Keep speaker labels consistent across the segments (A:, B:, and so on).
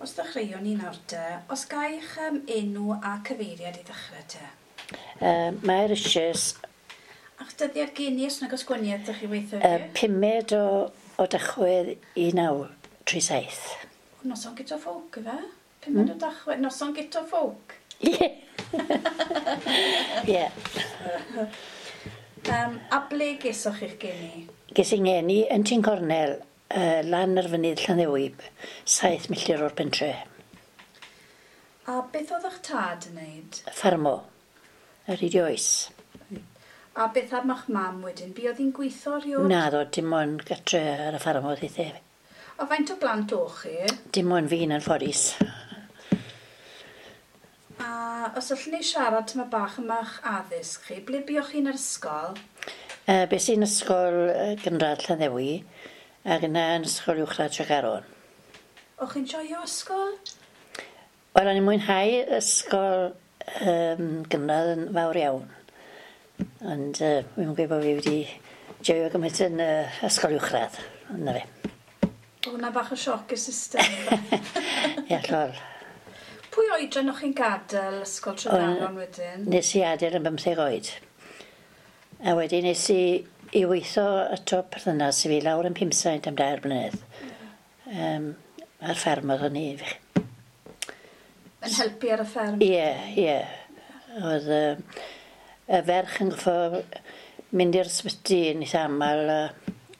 A: Os ddechreuwn ni nawr te, os gai'ch enw a cyfeiriad i ddechrau te?
B: Mair Richards.
A: A'ch dyddiad geni os nag oes gwaniaeth 'da chi weithio fi?
B: Pumed o Dachwedd 1937.
A: O, noson Guto Ffowc yfe? Pumed o Dachwedd, noson Guto Ffowc?
B: Ie! Ie.
A: A ble gesoch chi'ch geni?
B: Ges i ngeni yn Tyn Cornel, lan ar fynydd Llanddewi, 7 milltir o'r pentre.
A: A beth oedd eich tad yn wneud?
B: Ffarmo, ar hyd ei oes.
A: A beth am eich mam wedyn? Buodd hi'n gweithio erioed?
B: Naddo, dim ond gatre ar y ffarm oedd hi.
A: A faint o blant o'ch chi?
B: Dim ond fi'n anffodus.
A: A os allwn ni siarad tyma bach am eich addysg chi, ble buoch chi'n yr ysgol?
B: Bes i'n ysgol gynradd Llanddewi ac yna yn ysgol uwchradd Tregaron.
A: O'ch chi'n joio ysgol?
B: Wel, o'n i'n mwynhau ysgol gynradd yn fawr iawn. Ond wi'm yn gweud bod fi wedi joio gymaint yn ysgol uwchradd, ond 'na fe.
A: O'dd hwnna bach o sioc i'r system?
B: Ie, llol.
A: Pwy oedran o'ch chi'n gadael ysgol Tregaron wedyn?
B: Nes i adael yn 15 oed. A wedyn nes i i weitho ato perthynas i fi lawr yn Pumsaint am 3 blynedd. Ar fferm oedd hynny.
A: Yn helpu ar y fferm?
B: Ie, ie. Oedd y ferch yn goffo mynd i'r ysbyty yn eitha aml,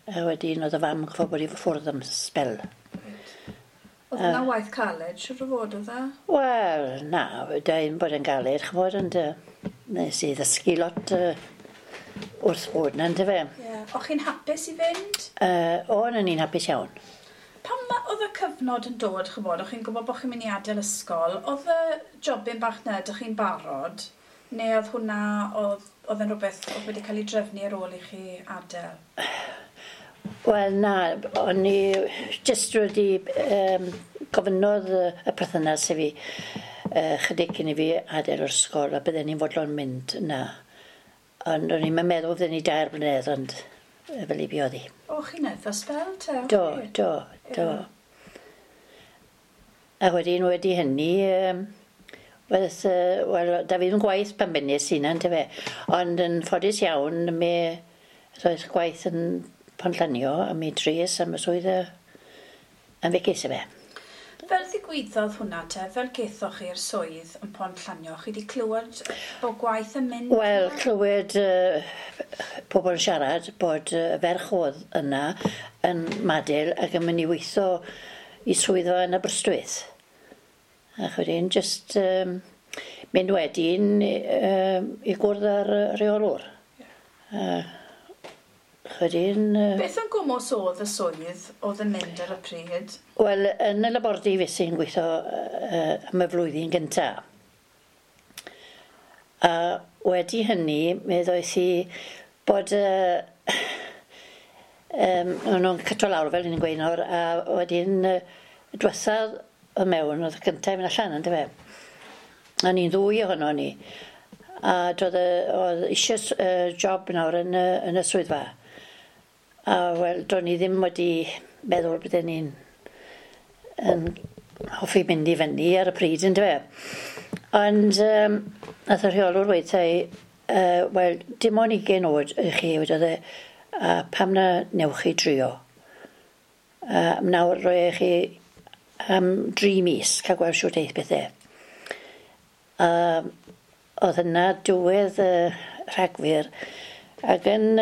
B: a wedyn oedd y fam yn goffo bod i ffwrdd am sbel.
A: Oedd hwnna waith caled, siŵr o fod oedd e?
B: Wel, na, da i'n bod yn galed, ch'mod, ond nes i ddysgu lot wrth bod 'na, yndyfe?
A: Ie. O'ch chi'n hapus i fynd?
B: O'n, o'n i'n hapus iawn.
A: Pan oedd y cyfnod yn dod, ch'mod, o'ch chi'n gwybod bod chi'n mynd i adael ysgol, oedd y jobyn bach 'na, ydych chi'n barod? Neu oedd hwnna, oedd e'n rhywbeth oedd wedi cael ei drefnu ar ôl i chi adael?
B: Wel, na, o'n i jyst wedi gofynnodd y perthynas i fi chydig cyn i fi adael yr ysgol a bydden ni'n fodlon mynd na. Ond o'n i'n meddwl fydden ni 3 blynedd, ond fel i buodd hi.
A: O, chi'n eitha sbel te?
B: Do, do, do. A wedyn wedi hynny, wel, da fi ddim gwaith pan bennes i 'na, yndyfe? Ond yn ffodus iawn, mi roedd gwaith yn Pontllanio a mi dries am y swydd yn fe ces i fe.
A: Fel ddigwyddodd hwnna te, fel gethoch chi'r swydd yn Pontllanio, chi wedi clywed bod gwaith yn mynd?
B: Wel, clywed pobl yn siarad bod y ferch oedd yna yn Madel ac yn mynd i weithio i swyddfa yn Aberystwyth. Ac wedyn jyst mynd wedyn i gwrdd â'r rheolwr. Wedyn...
A: Beth yn gwmws oedd y swydd oedd yn mynd ar y pryd?
B: Wel, yn y labordy fues i'n gweithio am y flwyddyn gynta. A wedi hynny, mi ddoeth i bod o'n nhw'n cyto lawr fel ni'n gweud nawr, a wedyn diwethaf o mewn, oedd y cyntaf i fynd allan, yndyfe? A ni'n ddwy ohono ni. A doedd oedd eisiau job nawr yn y swyddfa. A wel, do'n i ddim wedi meddwl bydden ni'n yn hoffi mynd i fyny ar y pryd, yndyfe? Ond nath y rheolwr weud wrtha i, wel, dim ond 20 oed i chi, wedodd e, a pam na newch chi drio? Nawr roi chi am 3 mis, cael gweld siwt eith bethau. Oedd yna diwedd Rhagfyr, ac yn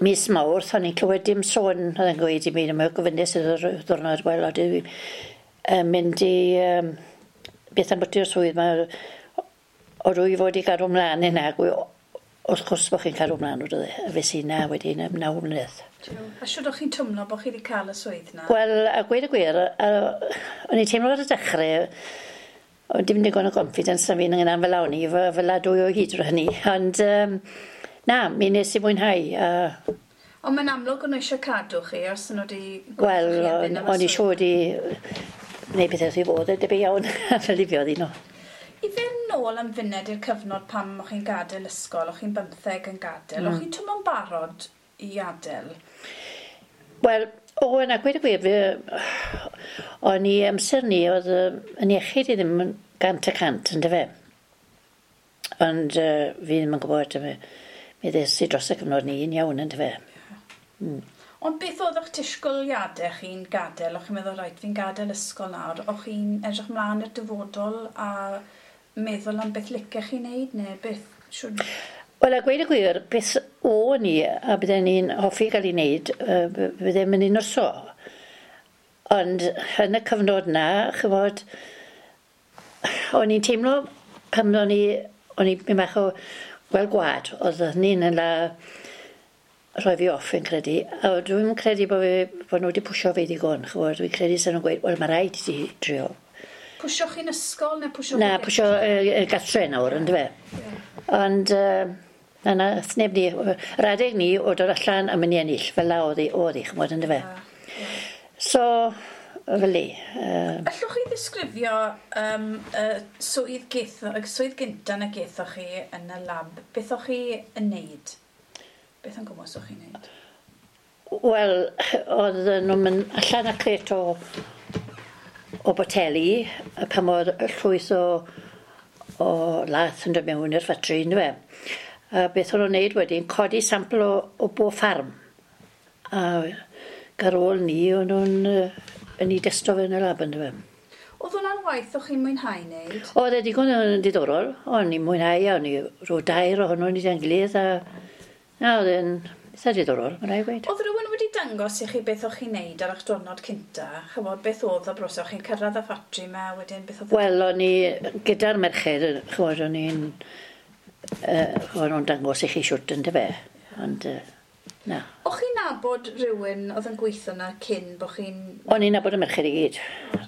B: mis Mawrth, o'n i'n clywed dim sôn, oedd e'n gweud i mi, mae gofynnes iddo'r ddiwrnod, wel, oedd i'n mynd i beth am bwti'r swydd, mae o rwy fod i gadw mlaen hynna, wrth gwrs bod chi'n cadw mlaen, oedd e, a fes i na wedyn am 9 mlynedd.
A: A siwr o'ch chi'n twmlo bod chi wedi cael y swydd na?
B: Wel, a gweud y gwir, o'n i'n teimlo ar y dechrau, o'n dim digon o confidence na fi'n ynghyna'n fel awn i, fel a dwy o hyd drwy hynny, ond na, mi nes i mwynhau.
A: Ond mae'n amlwg o'n nhw eisiau cadw chi, os o'n nhw wedi
B: Wel, o'n i siŵr wedi gwneud pethau wrth i fod, debyg iawn, fel i fi oedd un o.
A: I fynd nôl am funed i'r cyfnod pam o'ch chi'n gadael ysgol, o'ch chi'n 15 yn gadael, o'ch chi'n twmo'n barod i adael?
B: Wel, o, na, gweud y gwir, O'n i amser ni, oedd yn iechyd i ddim yn 100%, yn dyfe. Ond fi ddim yn gwybod, mi ddes i dros y cyfnod ni yn iawn, yn dyfe.
A: Ond beth oedd eich disgwyliadau chi'n gadael? O'ch chi'n meddwl, reit, fi'n gadael ysgol nawr. O'ch chi'n edrych mlaen i'r dyfodol a meddwl am beth licech chi'n neud, neu beth siwr...
B: Wel, a gweud y gwir, beth o'n i, a bydden ni'n hoffi gael ei wneud, bydden mynd i nyrsio. Ond yn y cyfnod na, chymod, o'n i'n teimlo pan o'n i'n mynd bach o gweld gwad, oedd hynny'n yn la rhoi fi off yn credu. A dwi'n credu bod nhw wedi pwysio fi ddigon, chymod, dwi'n credu sy'n nhw'n gweud, wel, mae rhaid i ti drio.
A: Pwysio chi'n ysgol neu pwysio...
B: Na, pwysio gartre nawr, yndyfe. Yeah. Ond na, neb ni, yr adeg ni o dod allan a mynd i ennill, fel la oedd hi, chymod, yndyfe. Yeah. So, fel i.
A: Allwch chi ddisgrifio swydd gynta na gethoch chi yn y lab? Beth o'ch chi yn neud? Beth yn gwmws o'ch chi'n neud?
B: Wel, oedd nhw'n mynd allan a crate o boteli, pan oedd llwyth o lath yn dod mewn i'r ffatri, yndyfe. A beth o'n nhw'n neud wedyn, codi sampl o bob ffarm. A ar ôl ni, o'n nhw'n yn ei desto fe yn y lab, yndyfe.
A: Oedd hwnna'n waith o'ch chi'n mwynhau wneud?
B: Oedd e digon yn diddorol. O'n i'n mwynhau, o'n i rhyw dair ohono ni da'n gilydd, a na, oedd e'n eitha diddorol, mae'n rhaid gweud.
A: Oedd rhywun wedi dangos i chi beth o'ch chi'n neud ar eich diwrnod cynta? Chymod, beth oedd y broses? O'ch chi'n cyrraedd y ffatri yma, wedyn beth oedd...
B: Wel, o'n i gyda'r merched, chymod, o'n i'n... O'n nhw'n dangos i chi siwt, yndyfe. Ond, na.
A: O'ch chi'n nabod rhywun oedd yn gweithio yna cyn bod chi'n...
B: O'n i'n nabod y merched i gyd.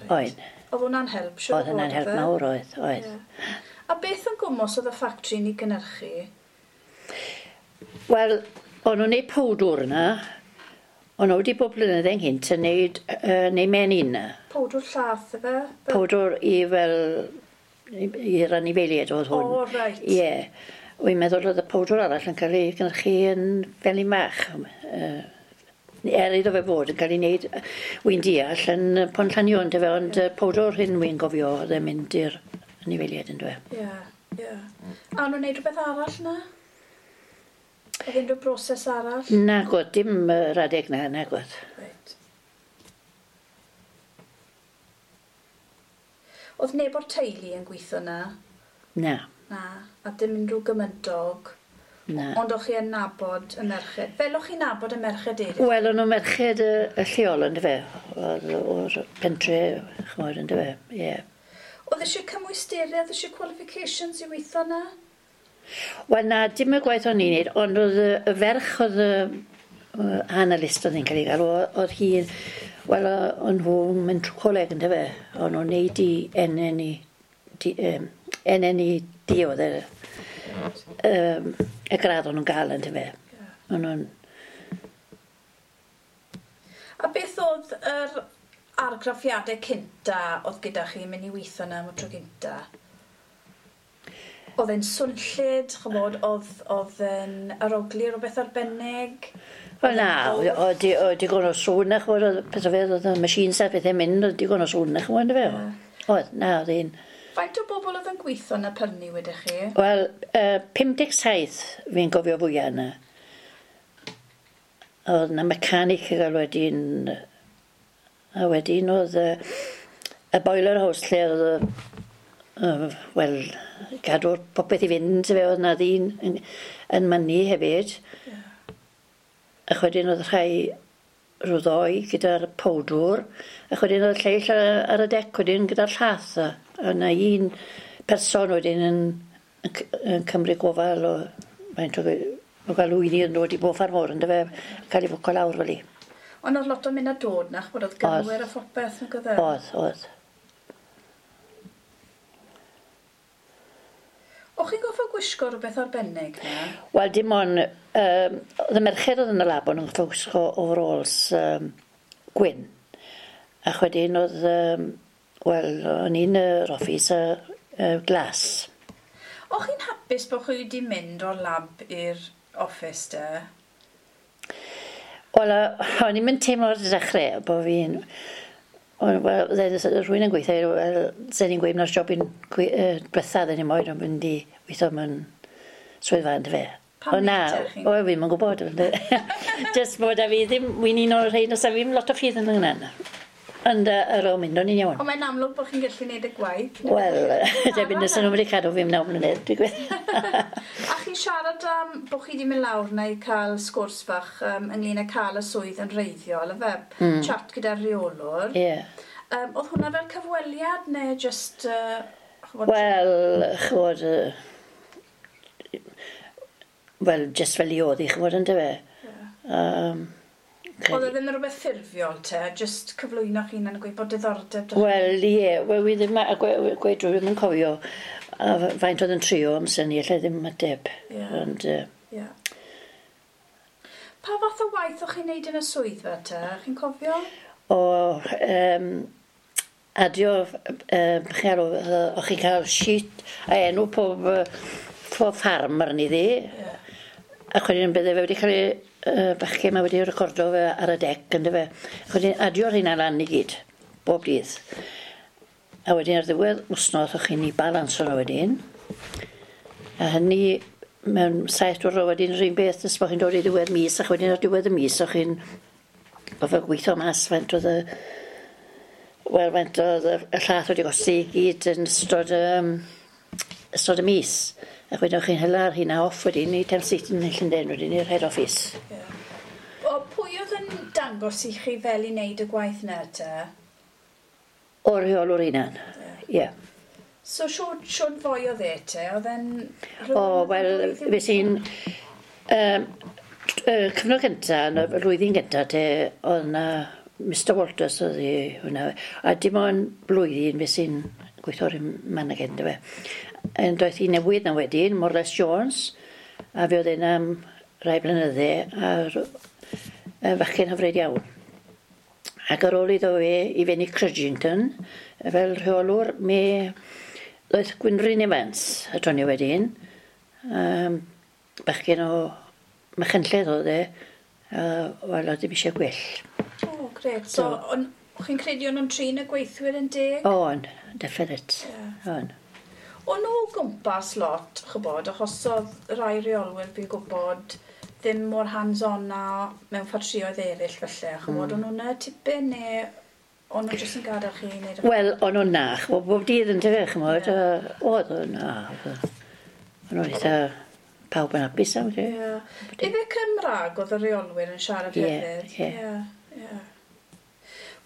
B: Oedd.
A: Oedd hwnna'n help, siŵr o fod?
B: Oedd hwnna'n help mawr, oedd. Yeah.
A: A beth yn gwmws oedd y ffatri ni gynhyrchu?
B: Wel, o'n nhw'n neud powdwr yna. O'n nhw wedi bod blynydde ynghynt yn neud neu menyn yna.
A: Powdwr llath, efe?
B: Powdwr i fel... i'r anifeiliaid oedd hwn.
A: O, reit.
B: Ie. Wy'n meddwl oedd y powdwr arall yn cael ei gynhyrchu yn fel i mach. Er iddo fe fod yn cael ei wneud, wy'n deall, yn Pontllanio, yndyfe, ond powdwr hyn wy'n gofio oedd e'n mynd i'r anifeiliaid, yndyfe.
A: Ie, ie. A o'n nhw'n wneud rhywbeth arall na? Oedd unrhyw broses arall?
B: Nagod, dim yr adeg na, nagod.
A: Reit. Oedd neb o'r teulu yn gweithio na?
B: Na.
A: Na, a dim unrhyw gymydog.
B: Na.
A: Ond o'ch chi yn nabod y merched? Fel o'ch chi'n nabod y merched eraill?
B: Wel, o'n nhw merched y lleol, yndyfe, o'r pentre, chymod, yndyfe, ie. Yeah.
A: Oedd eisiau cymwysterau, oedd eisiau qualifications i weithio na?
B: Wel, na, dim y gwaith o'n i'n neud, ond oedd y ferch oedd y analyst oedd hi'n cael ei gael, oedd hi, wel, o'n nhw'n mynd trwy coleg, yndyfe, o'n nhw'n neud i NNED oedd y gradd o'n nhw'n gael, yndyfe. O'n nhw'n...
A: A beth oedd yr argraffiadau cynta oedd gyda chi mynd i weithio yna am y tro cynta? Oedd e'n swnllyd, chymod, oedd e'n aroglu rhywbeth arbennig?
B: Wel na, oedd digon o sŵn, chymod, oedd pethau fe, oedd y machines a pethau'n mynd, oedd digon o sŵn, chymod, yndyfe? Oedd, na, oedd un.
A: Faint o bobl oedd yn gweithio yn y pyrni wedych chi?
B: Wel, 57 fi'n gofio fwyaf yna. Oedd yna mechanic i gael wedyn, a wedyn oedd y boiler house lle oedd wel, gadw'r popeth i fynd, fe oedd yna ddyn yn mynnu hefyd.
A: Yeah.
B: Ac wedyn oedd rhai rhyw ddoi gyda'r powdwr, ac wedyn oedd lleill ar y dec wedyn gyda'r llath. A yna un person wedyn yn cymryd gofal o faint o gael wyni yn dod i bob ffordd mor, yndyfe, cael ei fwco lawr fel i.
A: Ond oedd lot o mynd a dod na, ch'mod, oedd gyrwyr a phopeth, nag oedd e?
B: Oedd.
A: O'ch chi'n goffo gwisgo rhywbeth arbennig na?
B: Wel, dim ond, oedd y merched oedd yn y lab, o'n nhw'n goffo gwisgo overalls gwyn. Ac wedyn oedd, wel, o'n i'n yr office glas.
A: O'ch chi'n hapus bod chi wedi mynd o'r lab i'r office de?
B: Wel, o'n i'n mynd teimlo ar y dechrau bod fi'n... Wel, rhywun yn gweithio, wel, sen ni'n gweud na'r job i'n diwetha ddyn ni moyn o'n mynd i weithio mewn swyddfa yn fe.
A: Pam
B: O na,
A: te, chi'n-
B: o fi'n yn gwybod. Just bod a fi ddim, wy'n un o'r rhain os a fi'n lot o ffydd yn hynna. Ond ar ôl mynd o'n i'n iawn.
A: Ond mae'n amlwg bod chi'n gallu gwneud y gwaith.
B: Wel, debyg nes nhw'n wedi cadw fi am 9 mlynedd, dwi'n gweud.
A: A chi'n siarad am bod chi wedi mynd lawr na i cael sgwrs fach ynglyn â cael y swydd yn reiddiol, ife? Chat gyda'r rheolwr.
B: Ie.
A: Oedd hwnna fel cyfweliad neu just... Ch'mod,
B: Wel, ch'mod, wel, just fel i oedd i, ch'mod, yn dyfe.
A: Oedd e ddim yn rhywbeth ffurfiol te, just cyflwyno chi'n yn gweud bod diddordeb 'da chi?
B: Wel, ie, wel, wi ddim, a gweud drwy ddim yn cofio a faint oedd yn trio amser ni, allai ddim ateb.
A: Ie.
B: Ond,
A: Ie. Pa fath o waith o'ch chi'n neud yn y swyddfa te? Chi'n cofio?
B: O, adio, chi'n galw, o'ch chi'n cael sheet a enw pob ffarm arni ddi. Ac wedyn bydde fe wedi cael ei, bachgen ma wedi recordo fe ar y dec, ynddo fe. Ac wedyn adio'r hynna lan i gyd, bob dydd. A wedyn ar ddiwedd wsnos o'ch chi'n ei balans nhw wedyn. A hynny mewn 7 diwrnod wedyn yr un beth nes bod chi'n dod i ddiwedd mis, ac wedyn ar diwedd y mis o'ch chi'n gorfod gweithio mas faint oedd y wel, faint oedd y llath wedi gosti i gyd yn ystod y mis. Ac wedyn o'ch chi'n hela'r hynna off wedyn i Thames Ditton yn Llundain wedyn i'r head office.
A: Ie. O, pwy oedd yn dangos i chi fel i wneud y gwaith na te?
B: O'r rheolwr hunan. Ie. Yeah.
A: So, siwr foi oedd e te? Oedd e'n...
B: O, wel, fe sy'n... Cyfnod cynta, yn y flwyddyn gynta te, oedd na Mr Walters oedd i hwnna. A dim ond blwyddyn fe sy'n gweithio'r man ag fe. Yn doedd hi newydd na wedyn, Morles Jones, a fe oedd e'n am rai blynydde, a fachgen hyfryd iawn. Ac ar ôl iddo fe i fynd i Crudgington, fel rheolwr, mi ddoedd Gwynryn Evans a Tony wedyn. Bachgen o Machynlleth oedd e, wel, oedd ddim eisiau gwell.
A: O, gret. So, on, chi'n credu o'n nhw'n trin y gweithwyr yn deg?
B: On, definite.
A: Ie.
B: On.
A: O'n nhw o gwmpas lot, chybod, achos oedd rai reolwyr fi'n gwybod ddim mor hands-on na mewn ffatrioedd eraill felly, chybod, o'n nhw'n tipyn neu o'n nhw jyst yn gadael chi i wneud y...
B: Wel, o'n nhw'n na, ch'mod, bob dydd yn tyfe, ch'mod, oedd o'n na. O'n nhw'n eitha pawb yn hapus am, ie.
A: Ie. Ife Cymraeg oedd y reolwyr yn siarad
B: Ie,
A: hefyd?
B: ie.
A: Ie, ie.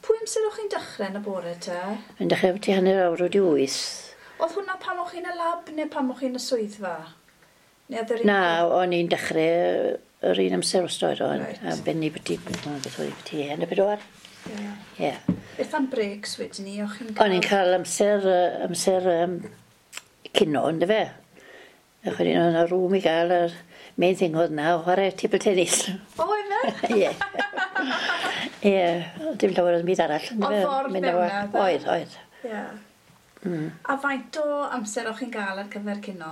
A: Pwy amser o'ch chi'n dechrau yn y bore te?
B: Yn dechrau ti 8:30.
A: Oedd hwnna pan o'ch chi'n y lab neu pan o'ch chi'n y swyddfa? Neu oedd yr un
B: Na, o'n i'n dechrau yr un amser wastad o'n.
A: Reit.
B: A benni byti, beth oedd byti, 3:30.
A: Ie.
B: Ie.
A: Beth am breaks wedyn ni? O'ch chi'n
B: O'n i'n cael amser cino, ynddo fe. Ac wedyn oedd yna rŵm i gael yr main thing oedd na, chwarae table tennis.
A: O, efe?
B: Ie. Ie, dim llawer o'n byd arall. Yndyfe?
A: Oedd ffordd
B: Mynd
A: mewn
B: â fo.
A: 'na, dde?
B: Oedd, oedd.
A: Ie. A faint o amser o'ch chi'n gael ar gyfer cino?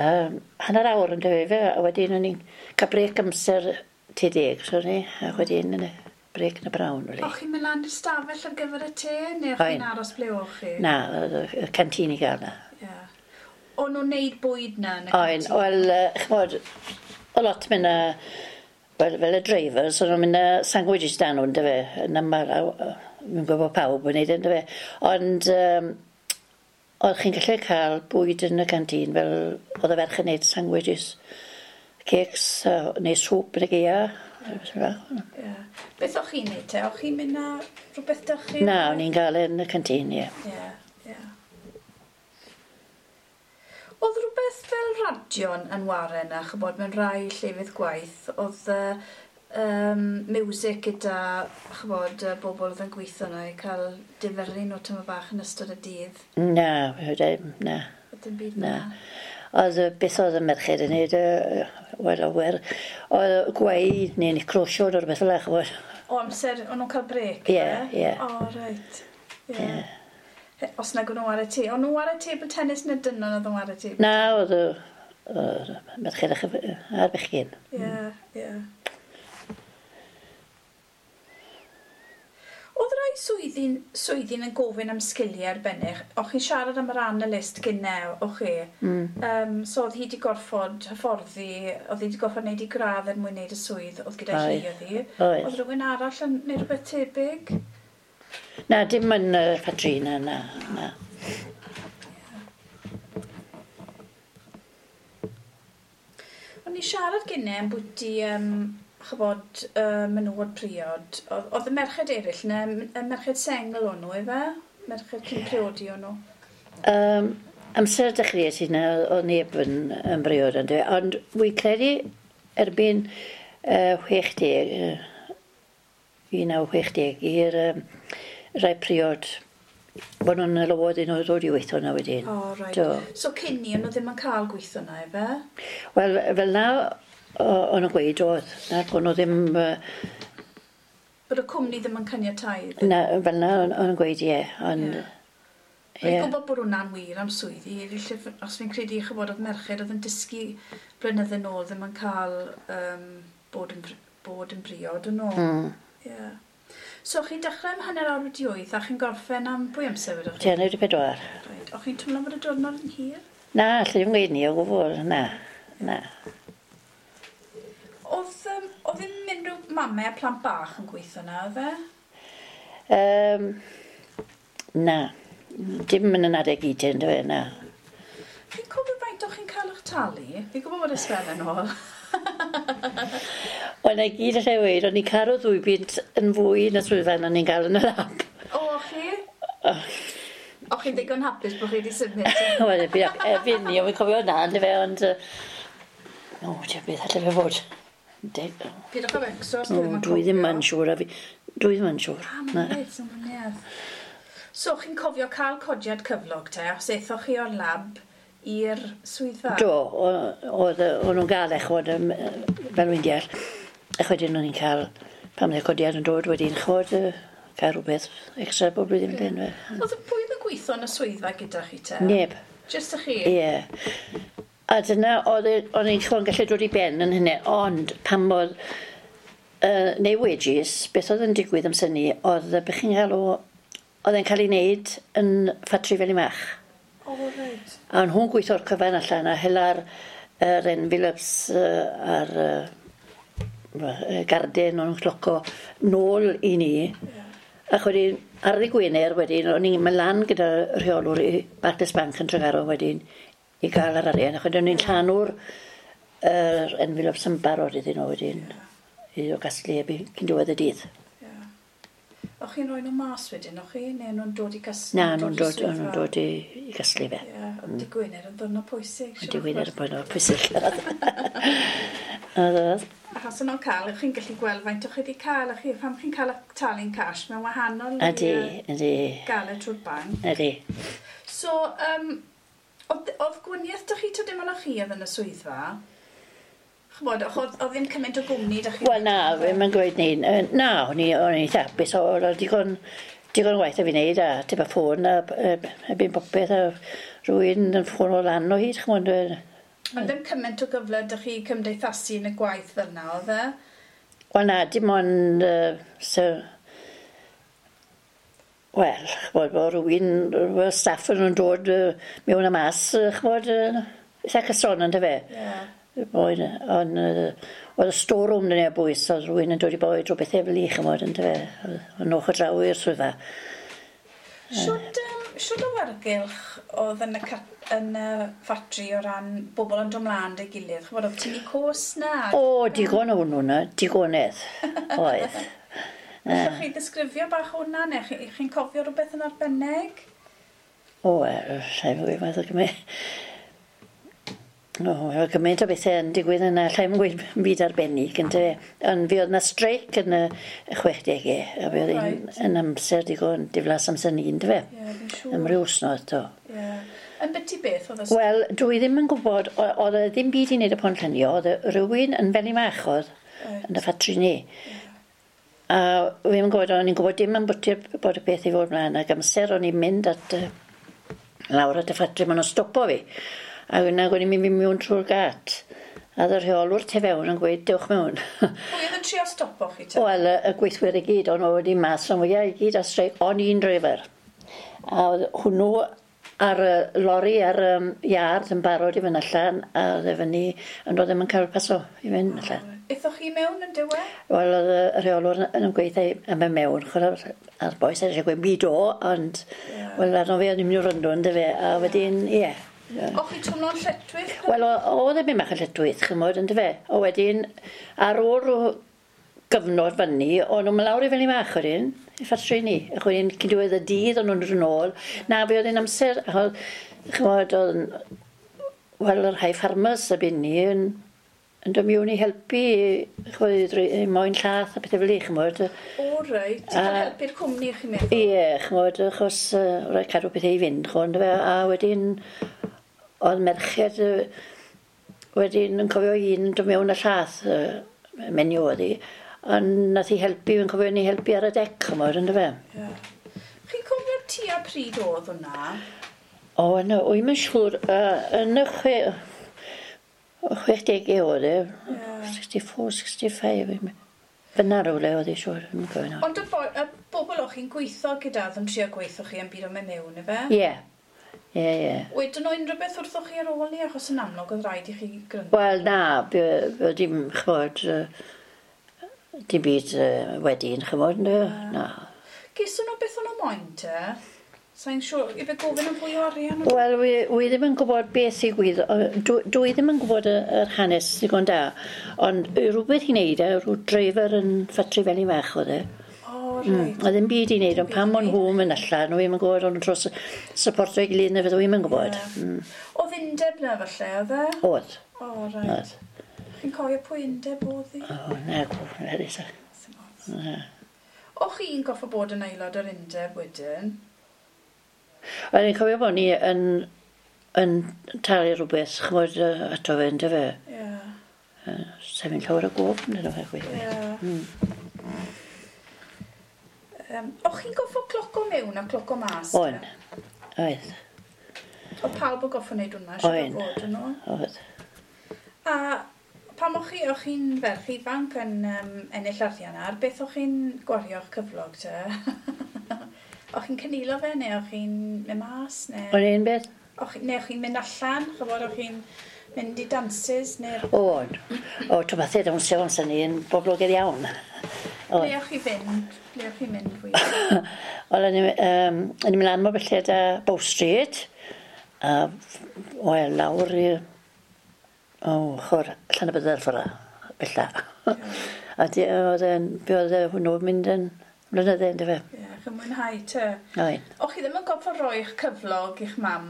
B: Hanner awr yn dyfe fe, a wedyn o'n i'n cael brec amser te 10, so ni, a wedyn yn y brec yn y brawn. Really.
A: O'ch chi'n mynd lan i'r stafell ar gyfer y te, neu o'ch chi'n
B: Oen.
A: aros ble o'ch chi?
B: Na, oedd y canteen i gael na.
A: Ie. O'n nhw'n neud bwyd na yn y
B: Oen,
A: canteen?
B: wel, ch'mod, o lot mynd â, wel, fel y drivers, o'n nhw'n mynd â sandwiches dan nhw, yndyfe, yn aml, fi'n gwybod pawb yn neud, yndyfe. Ond, oedd chi'n gallu cael bwyd yn y canteen, fel oedd y ferch yn neud sandwiches, cakes, neu sŵp yn y gaea.
A: Ie. Beth o'ch chi'n neud te? O'ch chi'n mynd â rhywbeth dych chi?
B: Na, o'n i'n gael e yn y canteen, ie.
A: Ie, ie. Oedd rhywbeth fel radion yn ware yna, chybod, mewn rai llefydd gwaith, oedd music gyda, chybod, y bobl oedd yn gweithio yna i cael difyrru nhw tyma bach yn ystod y dydd.
B: Na, na.
A: Oedd dim byd
B: Na.
A: fel 'na.
B: Oedd beth oedd y merched yn neud, wel, awer, oedd gweu neu'n crosio neu rhywbeth fel 'na, ch'mod.
A: O amser, o'n nhw'n cael brec?
B: Ie, ie.
A: O, reit. Ie. Os nag o'n nhw ar y te. O'n nhw ar y table tennis neu dynon oedd nhw ar y table?
B: Na, oedd y merched a'r bechgyn.
A: Ie, ie. Oedd rai rhai swyddi'n yn gofyn am sgiliau arbennig? O'ch chi'n siarad am yr analyst gynne, o'ch chi? So oedd hi wedi gorfod hyfforddi, oedd hi wedi gorfod wneud ei gradd er mwyn wneud y swydd oedd gyda hi, oedd hi?
B: Oedd.
A: Oedd rhywun arall yn wneud rhywbeth tebyg?
B: Na, dim yn y ffatri, na.
A: O'n i siarad gynne am bwyty, chybod, menywod priod. Oedd y merched eraill, neu y merched sengl o'n nhw, efe? Merched cyn priodi o'n nhw?
B: Amser dechreuais i na, oedd neb yn briod, ond wy'n credu erbyn 60, 1960, i'r rai priod, bod nhw'n alowod i nhw ddod i weithio yna wedyn.
A: O, reit. So cyn ni, o'n nhw ddim yn cael gweithio yna, efe?
B: Wel, fel na, o'n nhw'n gweud oedd, na, o'n nhw ddim...
A: Bod y cwmni ddim yn caniatáu?
B: Na, fel na, o'n nhw'n gweud, ie, ond...
A: Fi'n gwybod bod hwnna'n wir am swyddi, os fi'n credu chybod oedd merched oedd yn dysgu blynydde nôl ddim yn cael bod yn briod yn ôl. Ie. So chi'n dechrau am 8:30 a chi'n gorffen am pwy amser wedwch
B: chi? 3:50.
A: Reit. O'ch chi'n teimlo bod y diwrnod yn hir?
B: Na, allai ddim gweud ni o gwbl, na.
A: Oedd ddim unrhyw mamau a plant bach yn gweithio na, oedd e?
B: Na. Dim yn adeg i dyn, dwi, na.
A: Chi'n cofio faint o'ch chi'n cael eich talu? Fi'n gwybod bod y sbel yn ôl.
B: Wel, na gyd allai weud, o'n i'n cael o 2 bunt yn fwy na swyddfa na ni'n cael yn y lab.
A: O, chi? O, chi'n ddigon hapus bod chi wedi symud?
B: Wel, erbyn ni, o'n i'n cofio hwnna, yndyfe, ond... O, ti'n beth allai fe fod.
A: Pidwch â becso, os dwi ddim yn cofio.
B: Dwi ddim yn siŵr. Dwi ddim yn siŵr.
A: A, mae'n reit, mae'n mwynedd. So, chi'n cofio cael codiad cyflog te, os aethoch chi o'r lab i'r swyddfa?
B: Do, o'n nhw'n gael eich fod, fel wy'n deall. Ech wedyn o'n i'n cael, pan oedd y codiad yn dod wedyn, chwod, cael rhywbeth extra bob blwyddyn fel hyn.
A: Oedd pwy oedd yn gweithio yn y swyddfa gyda chi te?
B: Neb.
A: Jyst y chi?
B: Ie. A dyna, o'n i'n chwon gallu dod i ben yn hynny, ond pan oedd neu wages, beth oedd yn digwydd amser ni, oedd y bych chi'n cael o, oedd e'n cael ei wneud yn ffatri Felin-fach.
A: O, reit.
B: A nhw'n gweithio'r cyfan allan a hela'r envelopes a'r garden o'n cloco nôl i ni. Yeah. Ac wedyn, ar ddydd Gwener wedyn, o'n i'n mynd lan gyda rheolwr i Barclays Bank yn Tregaron wedyn i gael yr arian. Ac wedyn o'n i'n llanw'r envelopes yn barod iddyn nhw wedyn i o gasglu erbyn cyn diwedd y dydd.
A: Yeah. O'ch chi'n rhoi nhw mas wedyn, o'ch chi? Neu nhw'n dod i gasglu?
B: Na, nhw'n dod i gasglu fe.
A: Ie, ond dydd Gwener yn ddiwrnod pwysig.
B: Dydd Gwener yn ddiwrnod pwysig.
A: Achos o'n nhw'n cael, chi'n gallu gweld faint o'ch chi wedi cael, chi, pam chi'n cael y talu'n cash, mae'n wahanol
B: i
A: gael e trwy'r banc.
B: Ydy.
A: So, oedd gwaniaeth dych chi, dim ond chi oedd yn y swyddfa? Ch'mod, oedd ddim cymaint o gwmni dych chi?
B: Wel na, mae'n gweud ni, na, o'n i'n eitha hapus, oedd digon waith a fi wneud, a tipyn ffôn, a erbyn popeth, a rhywun yn ffôn o lan o hyd, ch'mod.
A: Ond ddim cymaint o gyfle dych chi cymdeithasu yn y gwaith fel na, oedd e?
B: Wel na, dim ond... Wel, ch'mod, bod rhywun, staff yn nhw'n dod mewn a mas, ch'mod, eitha cyson yn dyfe.
A: Ie.
B: Ond oedd y storeroom yn ei bwys, oedd rhywun yn dod i bwyd rhywbeth efo li, ch'mod, yn dyfe. Ond o'ch o draw i'r swyddfa.
A: Siwt awyrgylch oedd yn y ffatri o ran bobl yn dod mlaen dy gilydd? Ch'mod, oedd tynnu cos na?
B: O, digon o hwnnw na, digonedd oedd.
A: Allwch chi ddisgrifio bach hwnna, neu chi'n cofio rhywbeth yn arbennig?
B: O, llai fwy fath o gymaint. O, oedd gymaint o bethau yn digwydd yna, llai mwyn gweud byd arbennig, yndyfe. Ond fi oedd yna streic yn y 60au, a fi oedd yn amser digon diflas amser ni, yndyfe.
A: Ie, fi'n siŵr.
B: Am ryw wsnos, do.
A: Ie. Yn byti beth oedd y streic?
B: Wel, dwi ddim yn gwybod, oedd e ddim byd i wneud y Pont Llynio, oedd rhywun yn Felin-fach oedd yn y ffatri ni. A fi'n gwybod, o'n i'n gwybod dim am bod y beth i fod mlaen, ac amser o'n i'n mynd at lawr at y ffatri, maen nhw'n stopo fi. A yna o'n i'n mynd mewn trwy'r gat. A oedd y rheolwr tu fewn yn gweud, dewch mewn.
A: Pwy oedd yn trio stopo chi te?
B: Wel, y gweithwyr i gyd, o'n wedi mas o'n fwyaf i gyd ar streic, o'n un driver. A oedd hwnnw ar y lori ar iard yn barod i fynd allan, a oedd e fyny, ond oedd ddim yn cael paso i fynd allan.
A: Aethoch chi mewn yn diwedd?
B: Wel, oedd y rheolwr yn gweithio am y mewn, chwarae, a'r bois eisiau gweud, mi do, ond, wel, arno fe o'n i'n mynd i wrando, ynddo fe, a wedyn, ie.
A: O'ch chi twmlo'n lletwyth?
B: Wel, oedd e'n mynd bach yn lletwyth, chymod, ynddo fe. O wedyn, ar ôl rhyw gyfnod fyny, o'n nhw'n mynd lawr i fyny fach wedyn, i ffatri ni. Ac wedyn, cyn diwedd y dydd, o'n nhw'n dod yn ôl. Na, fe oedd e'n amser, achos, chymod, oedd, wel, yr rhai ffarmers erbyn ni yn dod mewn i helpu, chymod, i moyn llath a pethau fel 'ny, chymod.
A: O, reit. Ti'n cael helpu'r cwmni, chi'n meddwl?
B: Ie, chymod, achos rhaid cadw pethau i fynd, chymod, yndyfe? A wedyn, oedd merched wedyn yn cofio un yn dod mewn y llath, menyw oedd hi, ond nath hi helpu, yn cofio ni helpu ar y dec, chymod, yndyfe?
A: Ie. Chi'n cofio tua pryd oedd hwnna?
B: O, yna, wy'n yn siŵr, yn y 60au oedd e, 64, 65, fyna rhywle oedd hi siŵr, yn cofio nawr.
A: Ond y bobl o'ch chi'n gweithio gyda oedd yn trio gweithio chi yn byd o'n mynd mewn, ife?
B: Ie. Ie, ie.
A: Wedyn nhw unrhyw beth wrthoch chi ar ôl ni, achos yn amlwg oedd rhaid i chi gryndo.
B: Wel, na, dim, chymod, dim byd wedyn, chymod, na.
A: Geson nhw beth o'n nhw moyn te? Sa'n siŵr, i fe gofyn am fwy o arian?
B: Wel, wi ddim yn gwybod beth sy'n gwyd, dwi ddim yn gwybod yr hanes ddigon da, ond rhywbeth i wneud e, rhyw dreifer yn ffatri fel i fach oedd e.
A: O, reit.
B: A ddim byd i wneud, ond pam o'n nhw'n mynd allan, nhw ddim yn gwybod, o'n nhw'n tros supporto ei gilydd neu fyddwn i'm yn gwybod.
A: Oedd undeb na falle, oedd e?
B: Oedd.
A: O, reit.
B: Oedd.
A: Chi'n cofio pwy undeb oedd hi?
B: O, na, gwybod, na.
A: Sim ots. O'ch chi'n goffo bod yn aelod o'r undeb wedyn?
B: Wel, ni'n cofio bod ni yn talu rhywbeth, chymod, ato fe, yndyfe?
A: Ie.
B: Sef yn llawer o gof, yn dyn nhw, gweithio.
A: Ie. O'ch chi'n goffo cloco mewn a cloco mas?
B: O'n. Oedd.
A: Oedd pawb yn goffo wneud hwnna, siŵr o fod yn nhw?
B: Oedd.
A: A pam o'ch chi'n ferch ifanc yn ennill arian ar, beth o'ch chi'n gwario'ch cyflog te? O'ch chi'n cynilo fe, neu o'ch chi'n mynd mas? Neu...
B: O'n un beth?
A: Neu o'ch chi'n mynd allan, chybod, o'ch chi'n mynd i dances, neu...
B: O'n. O, ti'n fath e, dawnsio amser ni yn boblogaidd iawn.
A: Ble o'ch chi fynd? Ble o'ch chi'n mynd fwy?
B: Wel, o'n i'n mynd lan mor belled â Bow Street, a wel, lawr i... O, chwr, allan y byddar ffordd, bella. A oedd e'n, be oedd e hwnnw mynd yn blynydde, yndyfe?
A: Ie, chi'n mwynhau te.
B: Oen.
A: O'ch chi ddim yn gorfod rhoi eich cyflog i'ch mam?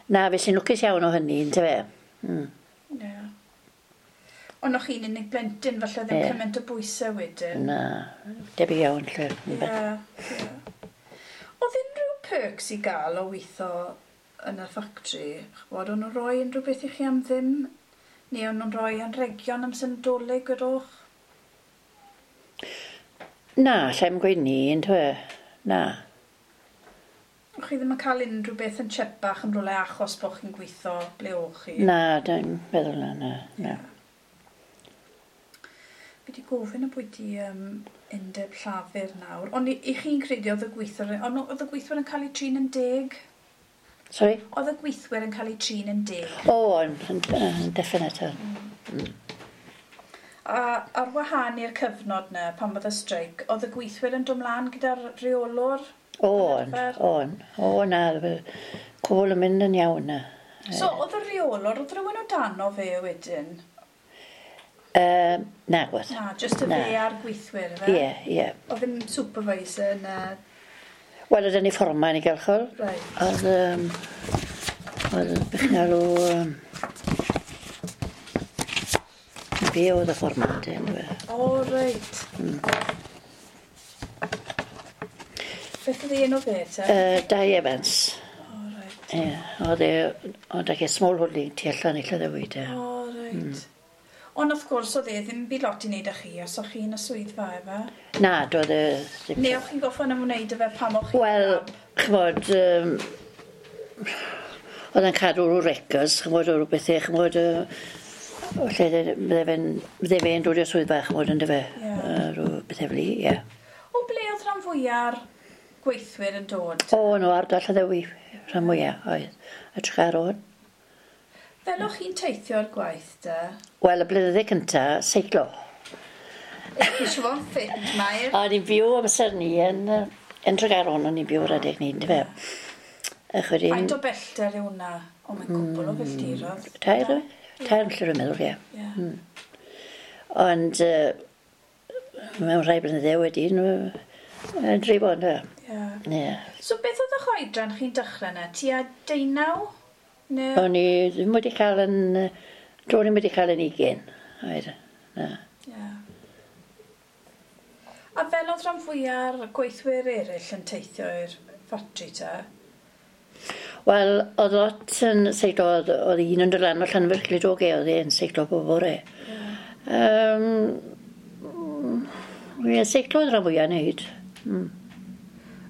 B: Na, fe sy'n lwcus iawn o hynny, yndyfe?
A: Ie. Ond o'ch chi'n unig blentyn, falle ddim cymaint o bwysau wedyn.
B: Na, debyg iawn, lle.
A: Ie, ie. Oedd unrhyw perks i gael o weithio yn y ffactri? Ch'bod, o'n nhw'n rhoi unrhyw beth i chi am ddim? Neu o'n nhw'n rhoi anrhegion am Nadolig, gwedwch?
B: Na, lle i'm gweud ni, yndyfe? Na.
A: O'ch chi ddim yn cael unrhyw beth yn chipach yn rhywle achos bod chi'n gweithio ble o'ch chi?
B: Na, dwi'n meddwl na, na, na.
A: Fi wedi gofyn ambwyty undeb llafur nawr, ond i chi'n credu oedd y gweithwyr, ond oedd y gweithwyr yn cael eu trin yn deg?
B: Sorry?
A: Oedd y gweithwyr yn cael eu trin yn deg?
B: O, yn definite.
A: A ar wahân i'r cyfnod na, pan oedd y streic, oedd y gweithwyr yn dod mlaen gyda'r rheolwr?
B: O'n, o'n. O, na, cwbl yn mynd yn iawn na.
A: So, oedd y rheolwr, oedd rhywun o dano fe wedyn?
B: Na, gwedd.
A: Na, jyst y fe a'r gweithwyr, fe?
B: Ie, ie.
A: Oedd ddim supervisor na...
B: Wel, oedd ni fforman i gael chol.
A: Right.
B: Oedd, oedd beth chi'n alw... Fi oedd y fforman, te, yndyfe.
A: O, reit. Beth oedd ei enw fe, te?
B: Dai Evans.
A: O, reit.
B: Ie, oedd e, oedd e small holding tu allan i Llanddewi, te.
A: O, reit. Ond wrth gwrs oedd e ddim byd lot i wneud â chi, os o'ch chi'n y swyddfa efe?
B: Na, doedd e ddim.
A: Neu o'ch chi'n gorfod ymwneud â fe pam o'ch chi'n...
B: Wel, ch'mod, oedd e'n cadw rhyw records, ch'mod, o rhyw bethau, ch'mod, Lle bydde fe'n dod i'r swyddfa, chymod, yn dyfe.
A: Ie.
B: Rhyw bethau fel i, ie.
A: O ble oedd rhan fwya'r gweithwyr yn dod?
B: O, no, ardal Llanddewi, rhan mwyaf, oedd. Y Tregaron.
A: Fel o'ch chi'n teithio i'r gwaith, de?
B: Wel, y blynydde cynta, seiclo.
A: Chi eisiau fod yn ffit, Mair?
B: O'n i'n byw amser ni yn Tregaron, o'n i'n byw ar adeg ni, yndyfe. Ac wedyn...
A: Faint o bellter yw hwnna? O, mae'n cwbl o filltiroedd.
B: Tair, tair milltir yn meddwl, ie.
A: Ie.
B: Ond mewn rhai blynydde wedyn, yn dreifo, yndyfe.
A: Ie.
B: Ie.
A: So beth oedd eich oedran chi'n dechrau yna? Tua 19? Neu...
B: O'n i ddim wedi cael yn... Do'n i'm wedi cael yn 20. Oedd. Na.
A: Ie. A fel oedd rhan fwya'r gweithwyr eraill yn teithio i'r ffatri te?
B: Wel, oedd lot yn seiclo, oedd un yn dod lan o Llanfair Clydogau, oedd e'n seiclo bob bore. Ie, seiclo oedd rhan fwyaf wneud.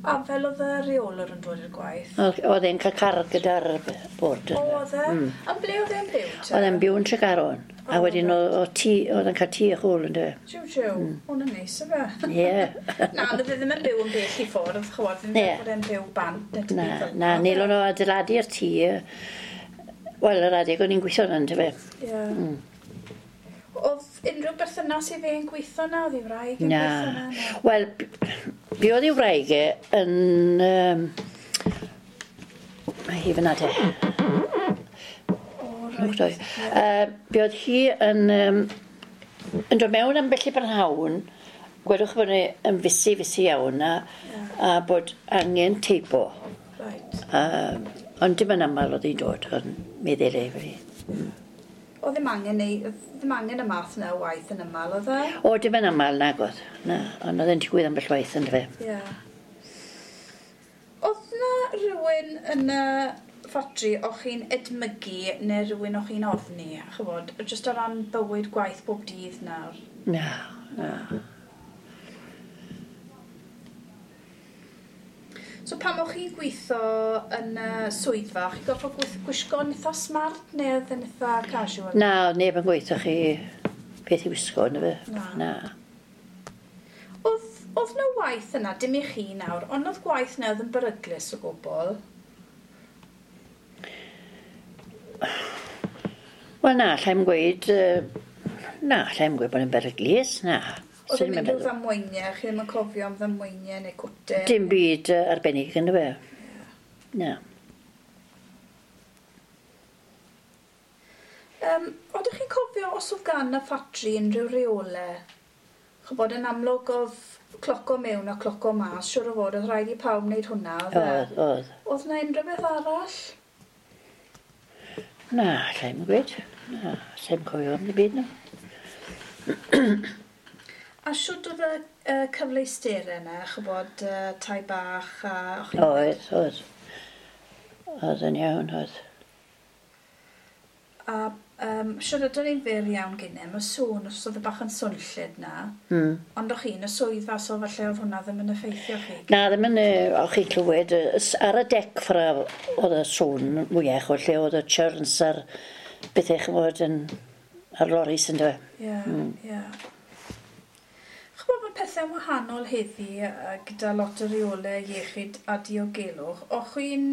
A: A fel oedd y reolwr yn dod i'r gwaith?
B: Oedd e'n cael car gyda'r bord.
A: O, oedd e? A ble oedd e'n byw te?
B: Oedd e'n byw yn Tregaron. A
A: O,
B: wedyn oedd oedd e'n cael tŷ a chwl yn dweud.
A: Jiw, jiw. Hwn yn neis, yfe?
B: Ie.
A: Na, ond oedd e ddim yn byw yn bell i ffwrdd, ch'mod, ddim
B: Ie.
A: yn bod e'n byw bant neu dim
B: Na,
A: byd fel
B: na,
A: 'na.
B: nelon o adeiladu'r tŷ. Wel, yr adeg o'n i'n gweithio yna, yndyfe.
A: Ie. Oedd unrhyw berthynas i fe yn gweithio na? Oedd ei wraig yn
B: Na.
A: gweithio na? Na.
B: Wel, be oedd ei wraig e yn... Mae hi fyna te.
A: O,
B: Reit.
A: reit.
B: Be oedd hi yn, yn dod mewn am bell i brynhawn, gwedwch bod ni yn fusi, fusi iawn, a bod angen teipo.
A: Reit.
B: Ond dim yn aml oedd hi'n dod, ond meddwl ei fi.
A: Oedd ddim angen, ei, ddim angen y math yna o waith yn aml, oedd e?
B: O, dim yn aml nag oedd. Na, ond oedd e'n digwydd ambell waith yn fe.
A: Ie. Oedd na rhywun yn y ffatri o'ch chi'n edmygu neu rhywun o'ch chi'n ofni, ch'mod, jyst o ran bywyd gwaith bob dydd nawr?
B: Na, na.
A: So pan o'ch chi'n gweithio yn y swyddfa, o'ch chi'n gorfod gwisgo'n eitha smart neu oedd yn eitha casual?
B: Na, oedd neb yn gweithio chi beth i wisgo, na fe.
A: Na.
B: Na.
A: Oedd na waith yna, dim i chi nawr, ond oedd gwaith yna oedd yn beryglus o gwbl?
B: Wel na, allai'm gweud... Na, allai'm gweud bod yn beryglus, na.
A: Oedd
B: Swn
A: ddim
B: i'm yn
A: unrhyw
B: meddwl.
A: ddamweiniau, chi ddim yn cofio am ddamweiniau neu cwtyn?
B: Dim byd arbennig yn fe. Na.
A: Oeddech chi'n cofio os oedd gan y ffatri unrhyw reolau? Ch'bod yn amlwg oedd cloco mewn a cloco mas, siŵr o fod oedd rhaid i pawb wneud hwnna, oedd e?
B: Oedd, oedd.
A: Oedd na unrhyw beth arall?
B: Na, allai'm gweud. Na, allai'm cofio am ddim byd na.
A: A siwt oedd y cyfleusterau yna, ch'bod, tai bach a... o'ch chi'n-
B: Oedd, oedd. Oedd yn iawn, oedd.
A: A siwr ydyn ni'n fyr iawn gynne, mae sŵn, os oedd y bach yn swnllyd na, ond o'ch chi'n y swyddfa, so falle oedd hwnna ddim yn effeithio chi.
B: Na, ddim yn, o'ch chi'n clywed, ar y dec ffra oedd y sŵn mwyach o lle oedd y churns a'r bethau ch'mod yn ar loris yn dweud.
A: Ie, ie. Ch'mod mae pethau'n wahanol heddi gyda lot o reolau iechyd a diogelwch. O'ch chi'n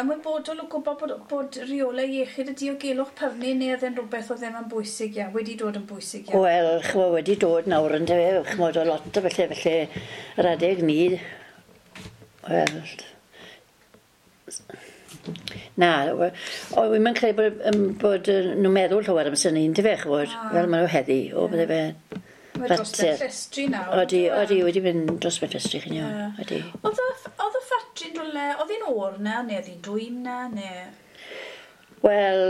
A: ymwybodol o gwybod bod reolau iechyd a diogelwch pyrnu neu oedd e'n rhywbeth oedd ddim yn bwysig iawn, wedi dod yn bwysig iawn?
B: Wel, ch'mod, wedi dod nawr yn dweud, ch'mod, o lot o felly, felly yr adeg ni, wel, na, o, wi'm yn credu bod nhw'n meddwl llawer am sy'n un, dyfe, ch'mod, fel maen nhw heddi, o, bydde fe.
A: Mae dros ben
B: fater.
A: llestri nawr.
B: Odi,
A: yndyw e?
B: odi, wedi mynd dros ben llestri chi'n iawn,
A: Ie.
B: odi.
A: Oedd y ffatri'n rhywle, oedd hi'n oer na, neu oedd hi'n dwym na, neu...
B: Wel,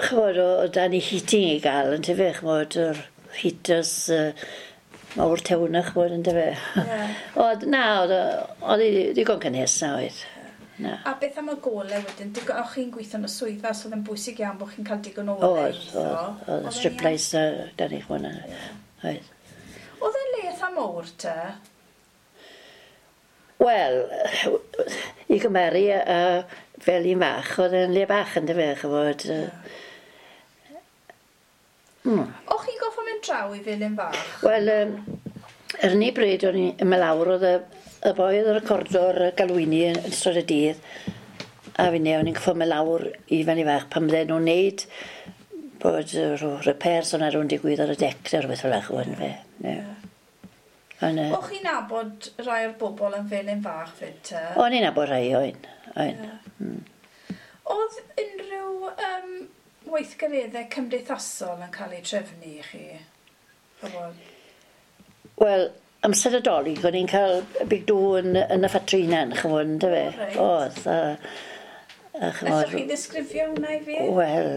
B: ch'mod, o dan ni heating i gael, yn tyfe, ch'mod, yr heaters mawr tew na, ch'mod, yn tyfe.
A: Ie.
B: Oedd, na, oedd hi ddigon cynnes na, oedd. Na.
A: A beth am y golau wedyn? Digon, o'ch chi'n gweithio yn y swyddfa, so oedd yn bwysig iawn bod chi'n cael digon o olau i
B: Oedd,
A: weithio.
B: oedd, oedd,
A: Oedd e'n
B: strip
A: iawn?
B: lights na, dan ni, ch'mod, na. Oedd.
A: Oedd e'n le eitha mowr te?
B: Wel, i gymeru fel un fach, oedd e'n le bach yn dyfe, ch'mod.
A: O'ch chi'n goffo mynd draw i Felin Fach?
B: Wel, yr unig bryd o'n i'n mynd lawr oedd y boi oedd y recordo'r galwini yn ystod y dydd, a finne o'n i'n goffo mynd lawr i Felin Fach pan bydden nhw'n neud bod rhyw repairs o'na rhywun digwydd ar y dec neu rhywbeth fel 'na, ch'mod, yndyfe. Ie. Ond,
A: O'ch chi'n nabod rai o'r bobl yn Felin Fach fyd te?
B: O'n i'n nabod rai, o'n. O'n.
A: Oedd unrhyw weithgareddau cymdeithasol yn cael eu trefnu i chi? Ch'mod?
B: Wel, amser y Dolig, o'n i'n cael big do yn y ffatri hunan, ch'mod, yndyfe?
A: Reit.
B: Oedd, a ch'mod.
A: Allwch chi ddisgrifio hwnna i fi?
B: Wel,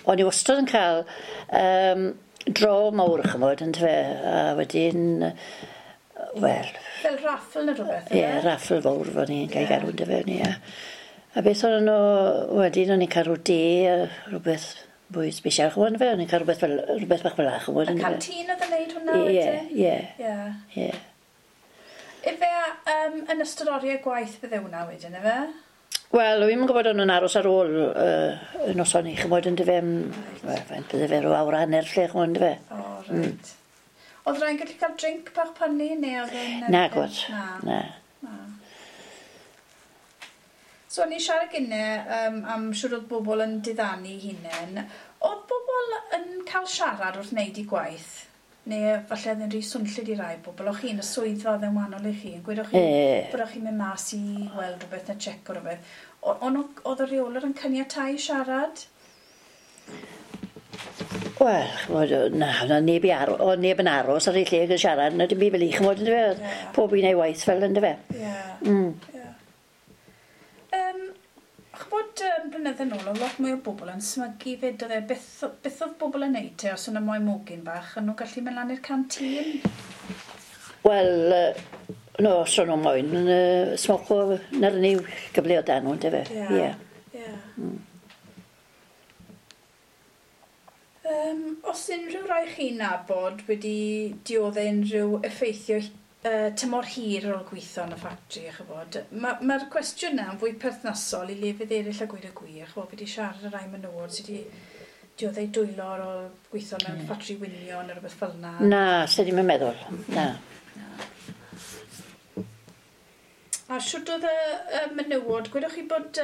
B: o'n i wastad yn cael dro mawr, ch'mod, yndyfe? A wedyn, wel.
A: Fel raffle neu rhywbeth,
B: Ie, raffle fawr fo'n i'n cael galw, yndyfe, o'n i, ie. A beth o'n nhw, wedyn o'n i'n cael rhyw de, a rhywbeth fwy special, ch'mod, yndyfe? O'n i'n cael rhywbeth fel, rhywbeth bach fel 'na, ch'mod,
A: Y
B: yndyfe?
A: canteen oedd yn neud hwnna
B: Ie,
A: wedyn?
B: ie.
A: Ie.
B: Ie.
A: Ife yn ystod oriau gwaith bydde hwnna wedyn, ife?
B: Wel, o'n i'm yn gwybod o'n nhw'n aros ar ôl y noson i, ch'mod, yndyfe, wel, faint bydde fe, rhyw awr a hanner lle, ch'mod, yndyfe?
A: O, reit. Oedd rhai'n gallu cael drink bach pynnu, neu oedd e'n...
B: Na, gwyd.
A: Na.
B: Na.
A: Na. So, o'n i'n siarad gynne am siwr oedd bobl yn diddanu hunain. Oedd bobl yn cael siarad wrth wneud eu gwaith? Neu falle oedd yn rhy swnllyd i rai bobl? O'ch chi'n y swyddfa oedd yn wahanol i chi? Yn gweud o'ch chi bod o'ch chi'n mynd mas i weld rhywbeth neu check o rhywbeth. Oedd y rheolwr yn caniatáu siarad?
B: Wel, ch'mod, na, na neb i oedd neb yn aros ar ei lle yn siarad, na dim byd fel i, ch'mod, yndyfe? Oedd pob un ei waith fel, yndyfe?
A: Ie. Ie. Ch'bod, blynydde nôl, oedd lot mwy o bobl yn smygu fyd, oedd e, beth oedd bobl yn neud te, os o'n nhw moyn mwgyn bach, o'n nhw'n gallu mynd lan i'r canteen?
B: Wel, no, os o'n nhw moyn, smoco, na'r unig gyfle o dan nhw, yndyfe? Ie.
A: Ie. Os unrhyw rai chi'n nabod wedi dioddef unrhyw effeithio tymor hir ar ôl gweithio yn y ffatri, ch'bod, mae'r cwestiwn yna yn fwy perthnasol i lefydd eraill a gweud y gwir, ch'bod, fi wedi siarad â rai menywod sydd wedi dioddef dwylo ar ôl gweithio mewn ffatri winio neu rhywbeth fel yna.
B: Na, sydd ddim yn meddwl, na.
A: A shwd oedd y menywod, gwedwch chi bod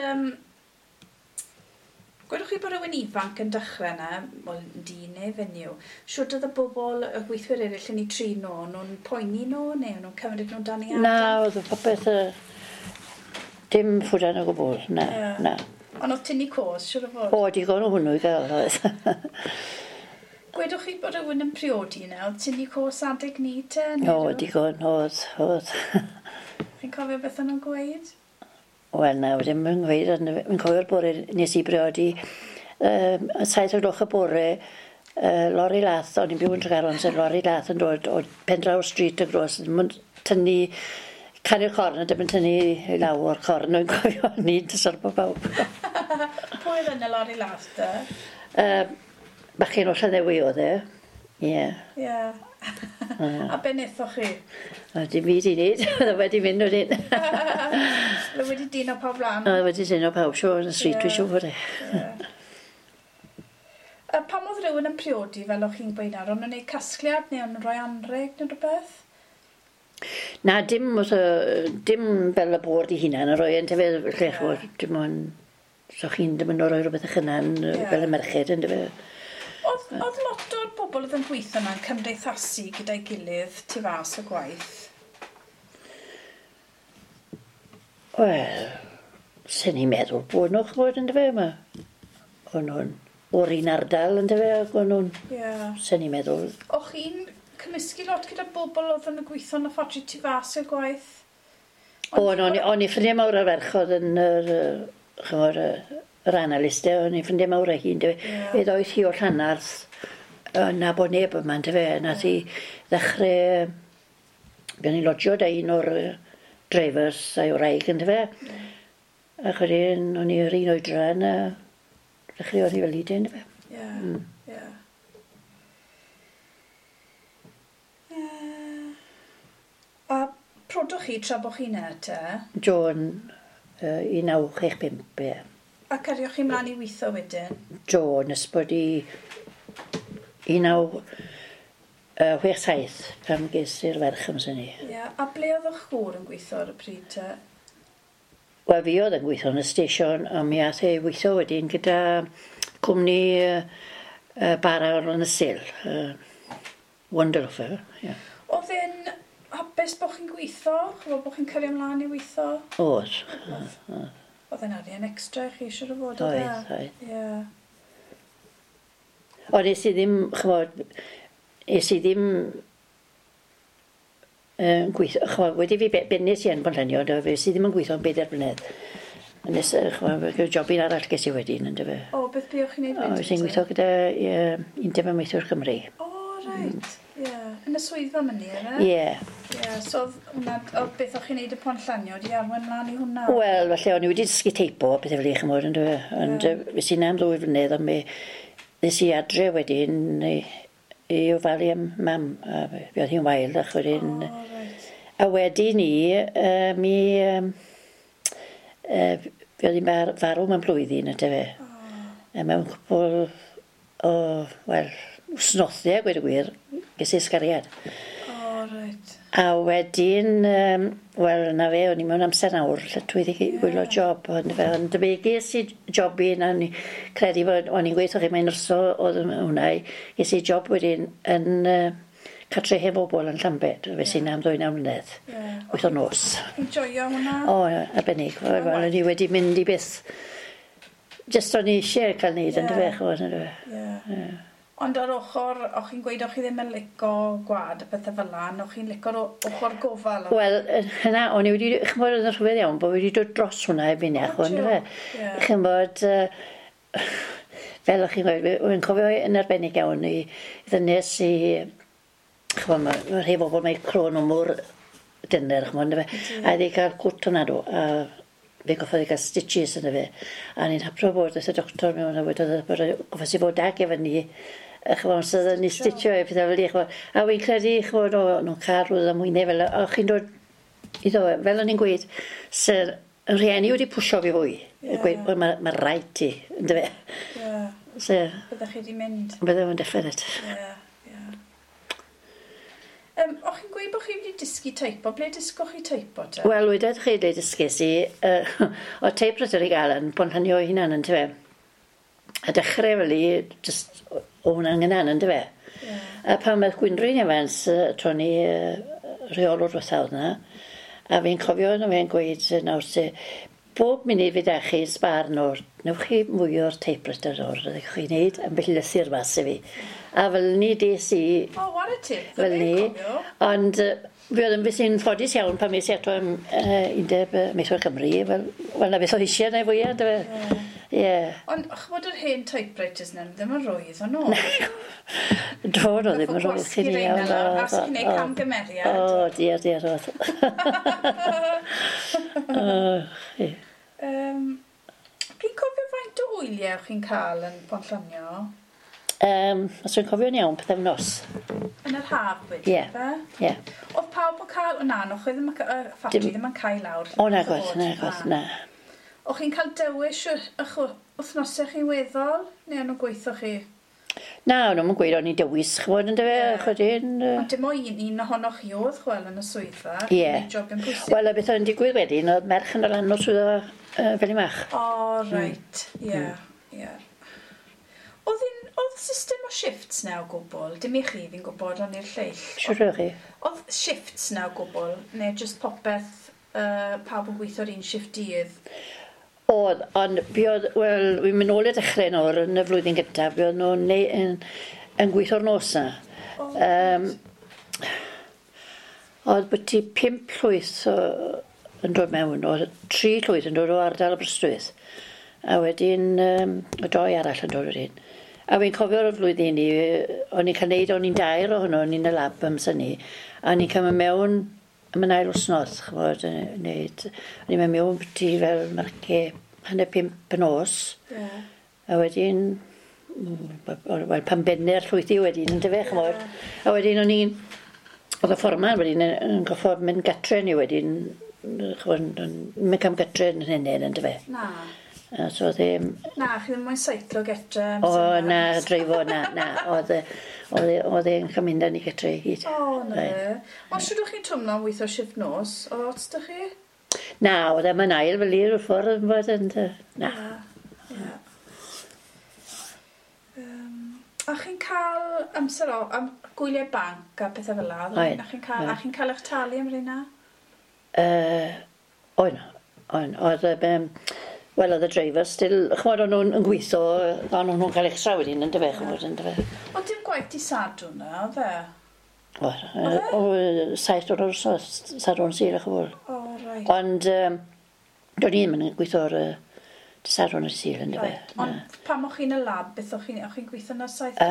A: gwedwch chi bod rhywun ifanc yn dechrau yna, wel, dyn neu fenyw, shwd oedd y bobl, y gweithwyr eraill yn eu trin nhw, o'n nhw'n poeni nhw, neu o'n nhw'n cymryd nhw'n dan i
B: Na,
A: adael?
B: oedd y popeth, dim ffwdan o gwbl, na, na.
A: Ond oedd tynnu cos, siwr o fod?
B: O, digon o hwnnw i gael, oedd.
A: Gwedwch chi bod rhywun yn priodi yna, oedd tynnu cos adeg ni te?
B: O, digon, oedd, oedd.
A: Chi'n cofio beth o'n nhw'n gweud?
B: Wel, na, ddim yn gweud, ond fi'n cofio'r bore nes i briodi, 7 o'r gloch y bore, lori lath, o'n i'n byw yn Tregaron, sef lori lath yn dod o Pendraw Street y gros, ddim yn tynnu, canu'r corn, a ddim yn tynnu i lawr o'r corn, o'n cofio ni'n dysor bod pawb.
A: Pwy oedd yn y lori lath te?
B: Bachgen o Llanddewi oedd e, ie.
A: Ie. A be wnaethoch chi?
B: A dim byd i wneud, oedd e wedi mynd wedyn.
A: Oedd e wedi dino pawb lan?
B: Oedd e wedi dino pawb, siŵr, yn y street, dwi'n siŵr fod e.
A: Pam oedd rhywun yn priodi, fel o'ch chi'n gweud nawr, o'n nhw'n gwneud casgliad neu o'n nhw'n rhoi anrheg neu rhywbeth?
B: Na, dim, dim fel y bwrdd i hunan yn rhoi yn tyfe, lle ch'mod, dim ond, so chi'n ddim yn rhoi rhywbeth eich hunan fel y merched yn tyfe.
A: Oedd lot o'r bobl oedd yn gweithio yna'n cymdeithasu gyda'i gilydd tu fas y gwaith?
B: Wel, sy'n ni'n meddwl bod nhw, ch'mod, yn dyfe, yma. O'n nhw'n o'r un ardal, yn dyfe, ac o'n nhw'n...
A: Ie.
B: Sy'n ni'n meddwl...
A: O'ch chi'n cymysgu lot gyda bobl oedd yn gweithio yn y ffatri tu fas y gwaith?
B: O'n, o'n i ffrindiau mawr ar ferchod yn yr, ch'mod, yr analystau, o'n i ffrindiau mawr â hi, yndyfe. Fe ddoeth hi o Llanarth, na bod neb yma, yndyfe, nath hi ddechrau, gan i lodgio da un o'r drivers a'i wraig, yndyfe. Ac wedyn, o'n i yr un oedran, a dechreuodd hi fel i yndyfe.
A: Ie, ie. A prodwch chi tra bod chi'n e te?
B: Joan, 1965, ie.
A: A carioch chi mlaen i weithio wedyn?
B: Joan, ys bod i 1967 pan ges i'r ferch amser ni.
A: Ie, yeah. A ble oedd eich gŵr yn gweithio ar y pryd te?
B: Wel, fi oedd yn gweithio yn y station, a mi ath e weithio wedyn gyda cwmni bara o'r yn y sil. Wonderful, ie. Yeah.
A: Oedd e'n hapus bod chi'n gweithio? Ch'mod bod chi'n cario ymlaen i weithio?
B: Oedd.
A: Oedd e'n arian extra i chi siŵr o fod, oedd e?
B: Oedd, oedd.
A: Ie.
B: Ond es i ddim, ch'mod, es i ddim gweithio, ch'mod, wedi fi bennes i yn Ponllanio, do, fe es i ddim yn gweithio am 4 blynedd. Nes, ch'mod, jobyn arall ges i wedyn, yndyfe.
A: O, beth buoch chi'n neud
B: O,
A: wedyn?
B: es i'n
A: te?
B: gweithio gyda Undeb Amaethwyr Cymru.
A: O, reit. Ie. Yn y swyddfa myny, yna?
B: Ie.
A: Ie, so oedd hwnna, oedd beth o'ch chi'n neud y Ponllanio di arwain mlaen i hwnna?
B: Wel, falle o'n i wedi dysgu teipo a pethau fel 'ny, ch'mod, yndyfe. Ond yeah. Es i 'na am 2 flynedd, ond mi ddes i adre wedyn i ofalu am mam. A fi oedd hi'n wael, ac wedyn.
A: O, reit.
B: A wedyn ni, mi... fi oedd hi'n farw mewn blwyddyn, yndyfe.
A: O,
B: A mewn cwpl o, wel, wsnothau, gweud y gwir, ges i ysgariad.
A: o, reit.
B: A wedyn, wel, na fe, o'n i mewn amser nawr, lle dwi wedi gwylio job, ond fe, ond fe ges i job un, a o'n i credu bod, o'n i'n gweithio chi, mae'n nyrsio oedd hwnna, ges i job wedyn yn cartre hen bobl yn Llambed, fe sy'n am 2 mlynedd,
A: Ie.
B: wyth o nos.
A: Chi'n joio hwnna?
B: O, arbennig, wel, o'n i wedi mynd i byth, jyst o'n i eisiau cael neud, yn
A: Ie.
B: dyfe, ch'mod, yn dyfe.
A: Ie. Ond ar ochr, o'ch chi'n gweud o'ch chi ddim yn lico gwad a pethau fel 'na, o'ch chi'n lico'r ochr gofal?
B: Wel, hynna, o'n i wedi, ch'mod, oedd yn rhyfedd iawn, bod wedi dod dros hwnna erbyn
A: O,
B: iach, ond
A: jiw.
B: fe.
A: Ie.
B: Ch'mod, fel o'ch chi'n gweud, wy'n cofio yn arbennig iawn i ddynes i, ch'mod, ma rhai bobl mae crôn o mor dyner, ch'mod, yndyfe. A iddi cael cwt hwnna do, a fe goffodd i gael stitches yna fe. A ni'n hapro bod wrth y doctor mewn a wedodd bod goffes i fod ag efo ni, ch'mod, so oedden ni stitio e pethau fel 'ny, ch'mod. A wy'n credu, ch'mod, o, nhw'n cael rhywbeth am wyneb fel, o, chi'n dod iddo, fel o'n i'n gweud, sy'r rhieni wedi pwsio fi fwy.
A: Ie.
B: Gweud, wel, mae ma rhaid ti, yndyfe.
A: Ie.
B: So,
A: Byddech chi wedi mynd?
B: bydde fo'n definite.
A: Ie, ie. O'ch chi'n gweud bod chi wedi dysgu teipo? Ble dysgoch chi teipo te?
B: Wel, wedodd chi le dysges i, o typewriter i gael yn Ponllanio ei hunan, yntyfe. A dechrau fel i, jyst o hwnna'n gynan, yntyfe.
A: Ie.
B: A pan oedd Gwynrhyn Evans, tro ni rheolwr diwetha oedd 'na, a fi'n cofio yna fe'n gweud nawr te, bob munud fydd â chi sbar nawr, newch chi mwy o'r typewriter nawr, ydych chi'n neud ambell lythyr mas i fi. A fel ni des i,
A: O, ware ti.
B: fel ni, ond fi oedd yn beth sy'n ffodus iawn pan mes i ato am Undeb Amaethwyr Cymru, fel, wel na beth oedd eisiau na fwyaf, yndyfe? Ie.
A: Ond ch'mod yr hen typewriters 'na, ddim yn rwydd o'n nhw.
B: Do, no, ddim yn rwydd chi'n iawn.
A: A chi'n gwneud camgymeriad.
B: O, diar, diar, oedd. O, chi.
A: Chi'n cofio faint o wyliau o'ch chi'n cael yn Ponllanio?
B: Os dwi'n cofio'n iawn, pythefnos.
A: Yn yr haf wedyn,
B: Ie.
A: fe?
B: Ie.
A: Oedd pawb yn cael... O na, no, chi ddim yn y ffatri ddim yn cael lawr.
B: O, na, gwaith, na, gwaith, na.
A: O'ch chi'n cael dewis eich wythnosau chi'n weddol? Neu o'n nhw'n gweithio chi?
B: Na, o'n nhw'n gweud o'n i'n dewis, ch'mod, yndyfe,
A: Ie.
B: chwedyn.
A: Ond dim o un ohonoch chi oedd chwel yn y swyddfa.
B: Ie.
A: Chi'n neud job yn pwysig.
B: Wel, a beth oedd yn digwydd wedyn, oedd merch yn dod lan o'r swyddfa fel i mach.
A: O, reit. Ie, ie. Oedd oedd system o shifts na o gwbl? Dim i chi, fi'n gwybod, ond i'r lleill.
B: Siwr o'ch chi.
A: Oedd shifts na o gwbl, neu jyst popeth, pawb yn gweithio'r un shift dydd?
B: Oedd, ond fi oedd, wel, fi'n mynd nôl i'r dechrau nawr yn y flwyddyn gyntaf, fi oedd nhw'n yn gweithio'r nos na.
A: O,
B: Oedd byti 5 llwyth yn dod mewn, oedd 3 llwyth yn dod o ardal Aberystwyth. A wedyn, y 2 arall yn dod wedyn. A fi'n cofio'r flwyddyn i, o'n i'n cael neud, o'n i'n dair ohono, o'n i'n y lab amser ni, a o'n i'n cael mynd mewn am yn ail wsnos, ch'mod, neud, o'n i'n mynd mewn byti fel marce 4:30 y nos,
A: Ie.
B: a wedyn, wel, pan benne'r llwythi wedyn, yndyfe, ch'mod. A wedyn o'n i'n, oedd y fforman wedyn yn goffod mynd gatre ni wedyn, ch'mod, yn mynd cam gatre yn hynny, yndyfe.
A: Na.
B: A so oedd e...
A: Na, chi ddim moyn seiclo getre.
B: O, na, dreifo, na, na. Oedd e'n cael mynd â ni getre i gyd.
A: O, na. Ond siwr o'ch chi'n twmlo am weithio shift nos? Oedd ots da chi?
B: Na, oedd e'n mynd ail fel i'r ffordd yn fod yn... Na.
A: Ie. A chi'n cael amser o, am gwyliau banc a pethau fel 'na? A chi'n cael, a chi'n cael eich talu am rheina?
B: Oen, oen. Oedd, wel, oedd y driver still, ch'mod, o'n nhw'n gweithio, o'n nhw'n cael extra wedyn, yndyfe, ch'mod, yndyfe.
A: Ond dim gwaith di Sadwrn na, oedd e?
B: Oedd, o, 7 o'r wsos, Sadwrn Sul, ch'mod.
A: O, reit.
B: Ond, do'n i ddim yn gweithio ar Sadwrn y Sul, yndyfe.
A: Right. Ond pam o'ch chi'n y lab, beth o'ch chi'n gweithio na 7?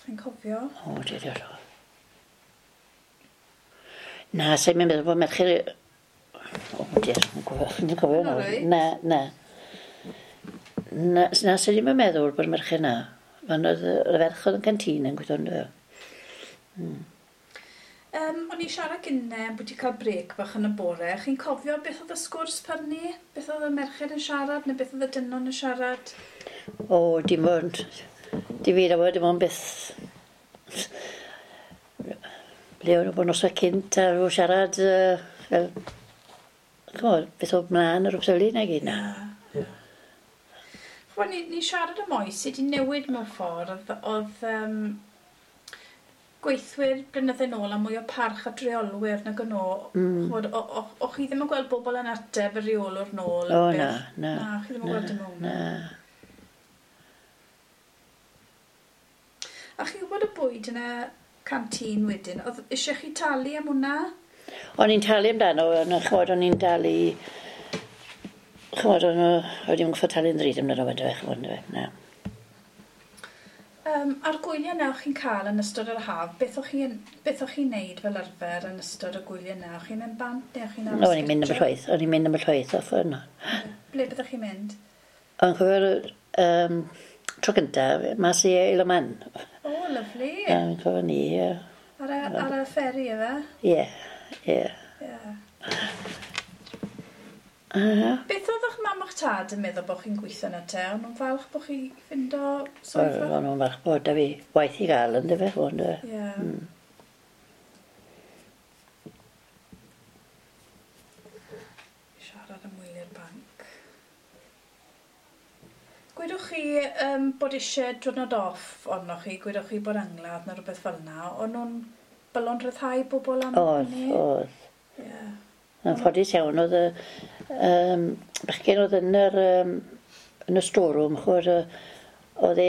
A: Chi'n cofio?
B: O, diolch. Na, sa'n meddwl bod merched... O, diolch, yn cofio nawr. Na, na. Na, na, sa'n ddim yn meddwl bod merched na. Ond oedd y ferch oedd yn canteen yn gweithio ynddo.
A: O'n i siarad gynne bod wedi cael brec bach yn y bore. Chi'n cofio beth oedd y sgwrs pan ni? Beth oedd y merched yn siarad neu beth oedd y dynon yn siarad?
B: O, dim ond. Di fi dim ond beth... Ble o'n nhw bod noswaith cynt a rhyw siarad fel... Ch'mod, beth oedd mlaen ar rhywbeth na gyd na.
A: Ch'mod, ni siarad am oes sydd wedi newid mewn ffordd. Oedd gweithwyr blynydde nôl a mwy o parch at reolwyr nag o'n nhw. Ch'mod, o chi ddim yn gweld bobl yn ateb y reolwr nôl?
B: O, na, na.
A: Na, chi ddim yn gweld dim hwnna.
B: Na.
A: A chi'n gwybod y bwyd yn y canteen wedyn, oedd eisiau chi talu am hwnna?
B: O'n i'n talu amdano, ond ch'mod, o'n i'n talu... Ch'mod, o'n i'n gwybod talu'n ddrud amdano fe, ch'mod, na.
A: A'r gwyliau na o'ch chi'n cael yn ystod yr haf, beth o'ch chi'n neud fel arfer yn ystod y gwyliau na? O'ch chi'n mynd bant neu o'ch chi'n aros?
B: O'n i'n mynd am y llwyth, o'n i'n mynd am y llwyth off yno.
A: Ble byddwch chi'n mynd?
B: O'n cofio'r tro gyntaf, mas i Isle of Man.
A: O, lyfli.
B: O'n cofio ni, ie.
A: Ar y fferi, efe?
B: Ie, ie.
A: Beth oedd eich mam a'ch tad yn meddwl bod chi'n gweithio yna te? O'n nhw'n falch bod chi ffindo swyddfa?
B: O'n nhw'n falch bod da fi waith i gael yn dyfe, o'n dyfe.
A: Ie. Siarad am wyliau'r banc. Gwedwch chi bod eisiau diwrnod off arnoch chi, gwedwch chi bod angladd neu rhywbeth fel yna, o'n nhw'n bylon rhyddhau bobl am hynny?
B: Oedd, oedd.
A: Ie.
B: Yn ffodus iawn oedd y bachgen oedd yn yr yn y storeroom, ch'mod, oedd e,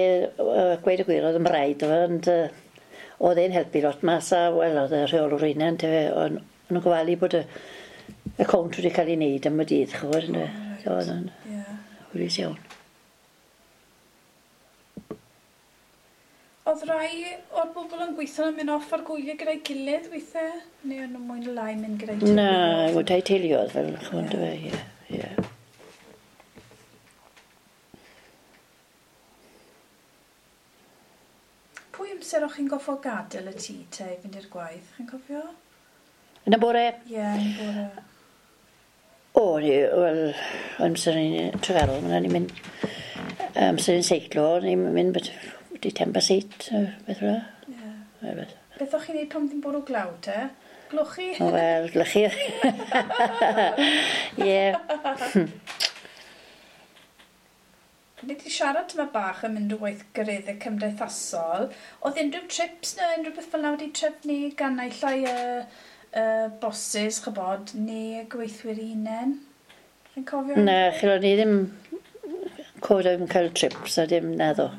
B: gweud y gwir, oedd yn braidd, ond oedd e'n helpu lot mas a, wel, oedd y rheolwr hunan, yntyfe, o'n nhw'n gofalu bod y cownt wedi cael ei wneud am y dydd, ch'mod, yndyfe. Oedd o'n hwylus iawn.
A: Oedd rai o'r bobl yn gweithio yn mynd off ar gwyliau gyda'i gilydd weithiau? Neu o'n nhw mwy neu lai mynd gyda'i teuluoedd?
B: Na, gyda'i teuluoedd fel, ch'mod, yndyfe, ie, ie.
A: Pwy amser o'ch chi'n goffo gadael y tŷ te i fynd i'r gwaith? Chi'n cofio?
B: Yn y bore?
A: Ie, yn y bore.
B: O, ni, wel, amser ni'n Tregaron, ni'n mynd, amser ni'n seiclo, ni'n mynd wedi 8:10, beth yna.
A: Ie. Beth o'ch chi'n neud pan ddim bwrw glaw te? Glwchu?
B: O, wel, glychu. Ie.
A: Ni wedi siarad tyma bach yn mynd o weithgareddau cymdeithasol. Oedd unrhyw trips neu unrhyw beth fel yna wedi trefnu gan naill ai y bosses, chybod, neu y gweithwyr hunain? Chi'n cofio?
B: Na, chi'n ni ddim cod am cael trips a dim naddo.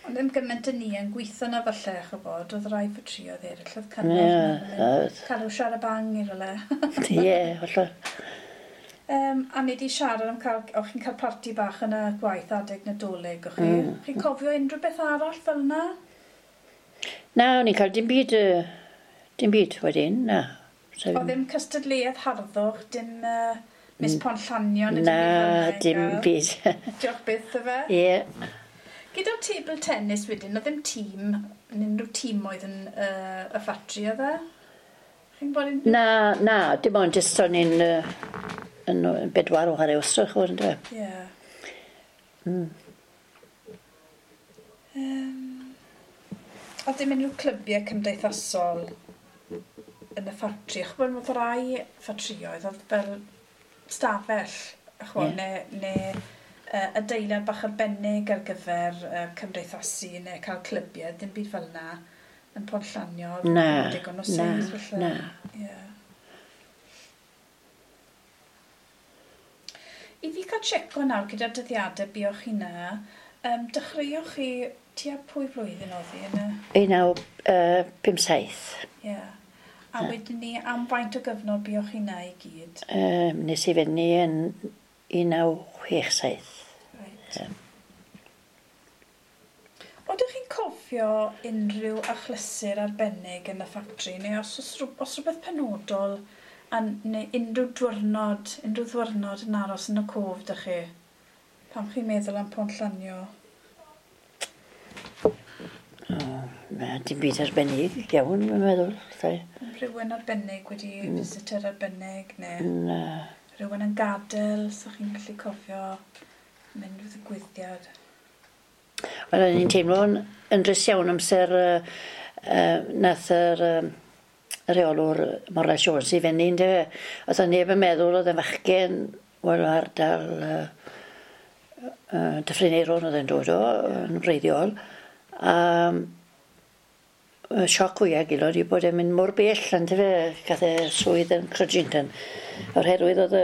A: Ond ddim gymaint yn ni yn gweithio na falle, chybod, oedd rai ffatrïoedd eraill, oedd cynnal, cael i'w siarad bang i rywle.
B: Ie, falle.
A: A ni wedi siarad am cael, o'ch chi'n cael parti bach yn y gwaith adeg Nadolig, o'ch chi? Chi'n cofio unrhyw beth arall fel yna?
B: Na, o'n i'n cael dim byd wedyn, na.
A: O ddim cystadleuaeth harddwch, dim Miss Ponllanion?
B: Na, dim byd.
A: Diolch byth, yfe?
B: Ie.
A: Gyda'r table tennis wedyn, oedd ddim tîm, unrhyw tîm oedd yn y ffatri, oedd e? Chi'n bod yn...
B: Na, na, dim ond jyst o'n i'n yn bedwar o chwarae wastad, chwbod, yndyfe?
A: Ie. Oedd dim unrhyw clybiau cymdeithasol yn y ffatri? Chwbod, oedd rai ffatrioedd, oedd fel stafell, chwbod, neu adeilad bach arbennig ar gyfer cymdeithasu neu cael clybiau, dim byd fel yna yn Pont Llanio.
B: Na,
A: digon o
B: na,
A: seis, falle.
B: Na.
A: Ie. I fi cael checo nawr gyda'r dyddiadau buoch chi na, dechreuoch chi tua pwy flwyddyn oedd hi yn y...
B: 1957.
A: Ie. A wedyn ni, am faint o gyfnod buoch chi na i gyd?
B: Nes i fyny yn 1967.
A: Reit. Oeddech chi'n cofio unrhyw achlysur arbennig yn y ffatri, neu os oes os rhywbeth penodol, neu unrhyw ddwrnod yn aros yn y cof dych chi? Pam chi'n meddwl am Pont Llanio?
B: O, na, dim byd arbennig iawn, mae'n meddwl. Llai.
A: Rhywun arbennig wedi visitor arbennig, neu
B: Na.
A: rhywun yn gadael, so chi'n gallu cofio mynd wrth y gwyddiad?
B: Wel, o'n i'n teimlo'n yn drist iawn amser nath yr rheolwr Morris Jones i fyny, yndyfe? Oedd neb yn meddwl oedd yn fachgen, wel, o ardal Dyffryn Aeron oedd e'n dod o, yn wreiddiol. A y sioc fwyaf gilod i bod e'n mynd mor bell, yndyfe, gath e swydd yn Crudgington. Oherwydd oedd y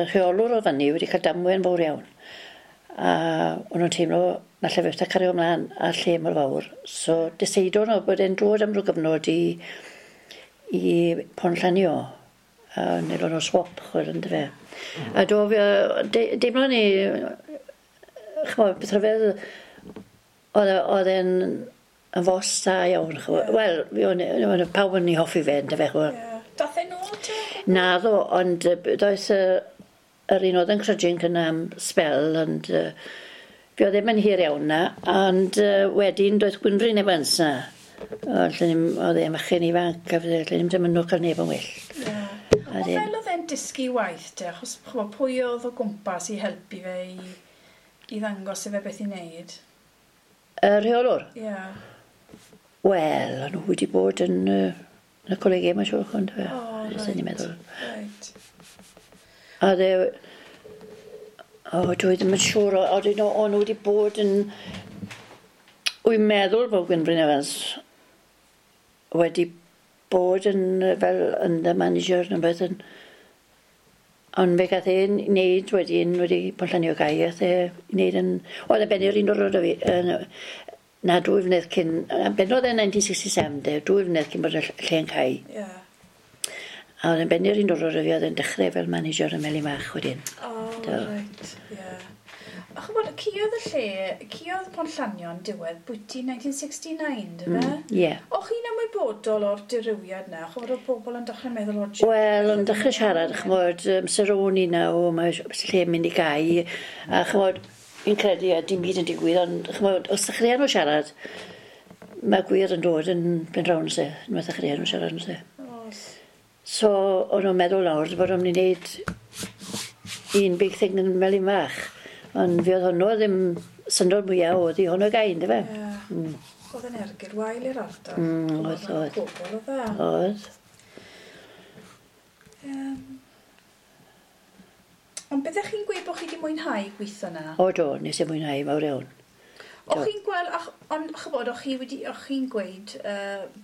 B: rheolwr o fyny wedi cael damwain fawr iawn. A o'n nhw'n teimlo na lle fe cario ymlaen a lle mor fawr. So deseidon nhw bod e'n dod am ryw gyfnod i Pont Llanio. A wnaethon nhw swap, chwel, yndyfe. A do fi, deimlo ni, ch'mod, beth rhyfedd, oedd e'n yn fos da iawn, ch'mod. Wel, o'n pawb yn ei hoffi fe, yndyfe, ch'mod.
A: Ie. Dath e nôl te?
B: Naddo, ond doedd yr un oedd yn Crudgington am sbel, ond fi oedd ddim yn hir iawn na, ond wedyn doedd Gwynfryn Evans na. Oedd e'n fachgen ifanc, a lle ni'n dymuno cael neb yn well.
A: Ie.
B: A
A: Ond
B: dyn-
A: fel oedd e'n dysgu waith te, achos ch'mod, pwy oedd o gwmpas i helpu fe i ddangos i fe beth i wneud?
B: Y rheolwr?
A: Ie.
B: Wel, o'n nhw wedi bod yn y colegau, mae'n siŵr, ond fe.
A: O,
B: Fyswn i'n
A: reit.
B: meddwl.
A: Reit.
B: A dde... O, dwi ddim yn siŵr, o'n nhw wedi bod yn... Wy'n meddwl bod Gwynfryn Evans wedi bod yn fel yn the manager neu beth yn... Ond fe gath e'n wneud wedyn, wedi Pont Llanio gau, gath e wneud yn... Oedd e bennu'r un o'r fi, na 2 flynedd cyn... Bennodd e 1967, de, 2 flynedd cyn bod y lle'n cau.
A: Ie.
B: A oedd e'n bennu'r un o'r fi, oedd e'n dechrau fel manager yn Melin-mach wedyn.
A: O,
B: Do.
A: reit, ie. A ch'mod, caeodd y lle, caeodd Pont Llanio'n diwedd bwyty 1969, dy fe?
B: Ie.
A: O'ch chi'n ymwybodol o'r dirywiad na? Ch'mod, oedd pobl yn dechrau meddwl o...
B: Wel, o'n dechrau siarad, ch'mod, amser o'n i nawr, mae lle yn mynd i gau, a ch'mod, fi'n credu a dim byd yn digwydd, ond ch'mod, os dechreuon nhw siarad, mae gwir yn dod yn ben rawn se, unwaith dechreuon nhw siarad yn se.
A: Oes.
B: So, o'n nhw'n meddwl nawr bod nhw'n mynd i wneud un big thing yn Melin-mach. Ond fi oedd hwnnw ddim syndod mwyaf oedd i hwnnw gau, yndyfe?
A: Ie. Oedd yn ergyd wael i'r ardal.
B: Oedd, oedd.
A: Pobl oedd e.
B: Oedd.
A: Ond byddech chi'n gweud bod chi wedi mwynhau gweithio na?
B: O do, nes i mwynhau mawr iawn.
A: O'ch chi'n gweld, ond ch'bod, o'ch chi wedi, o'ch chi'n gweud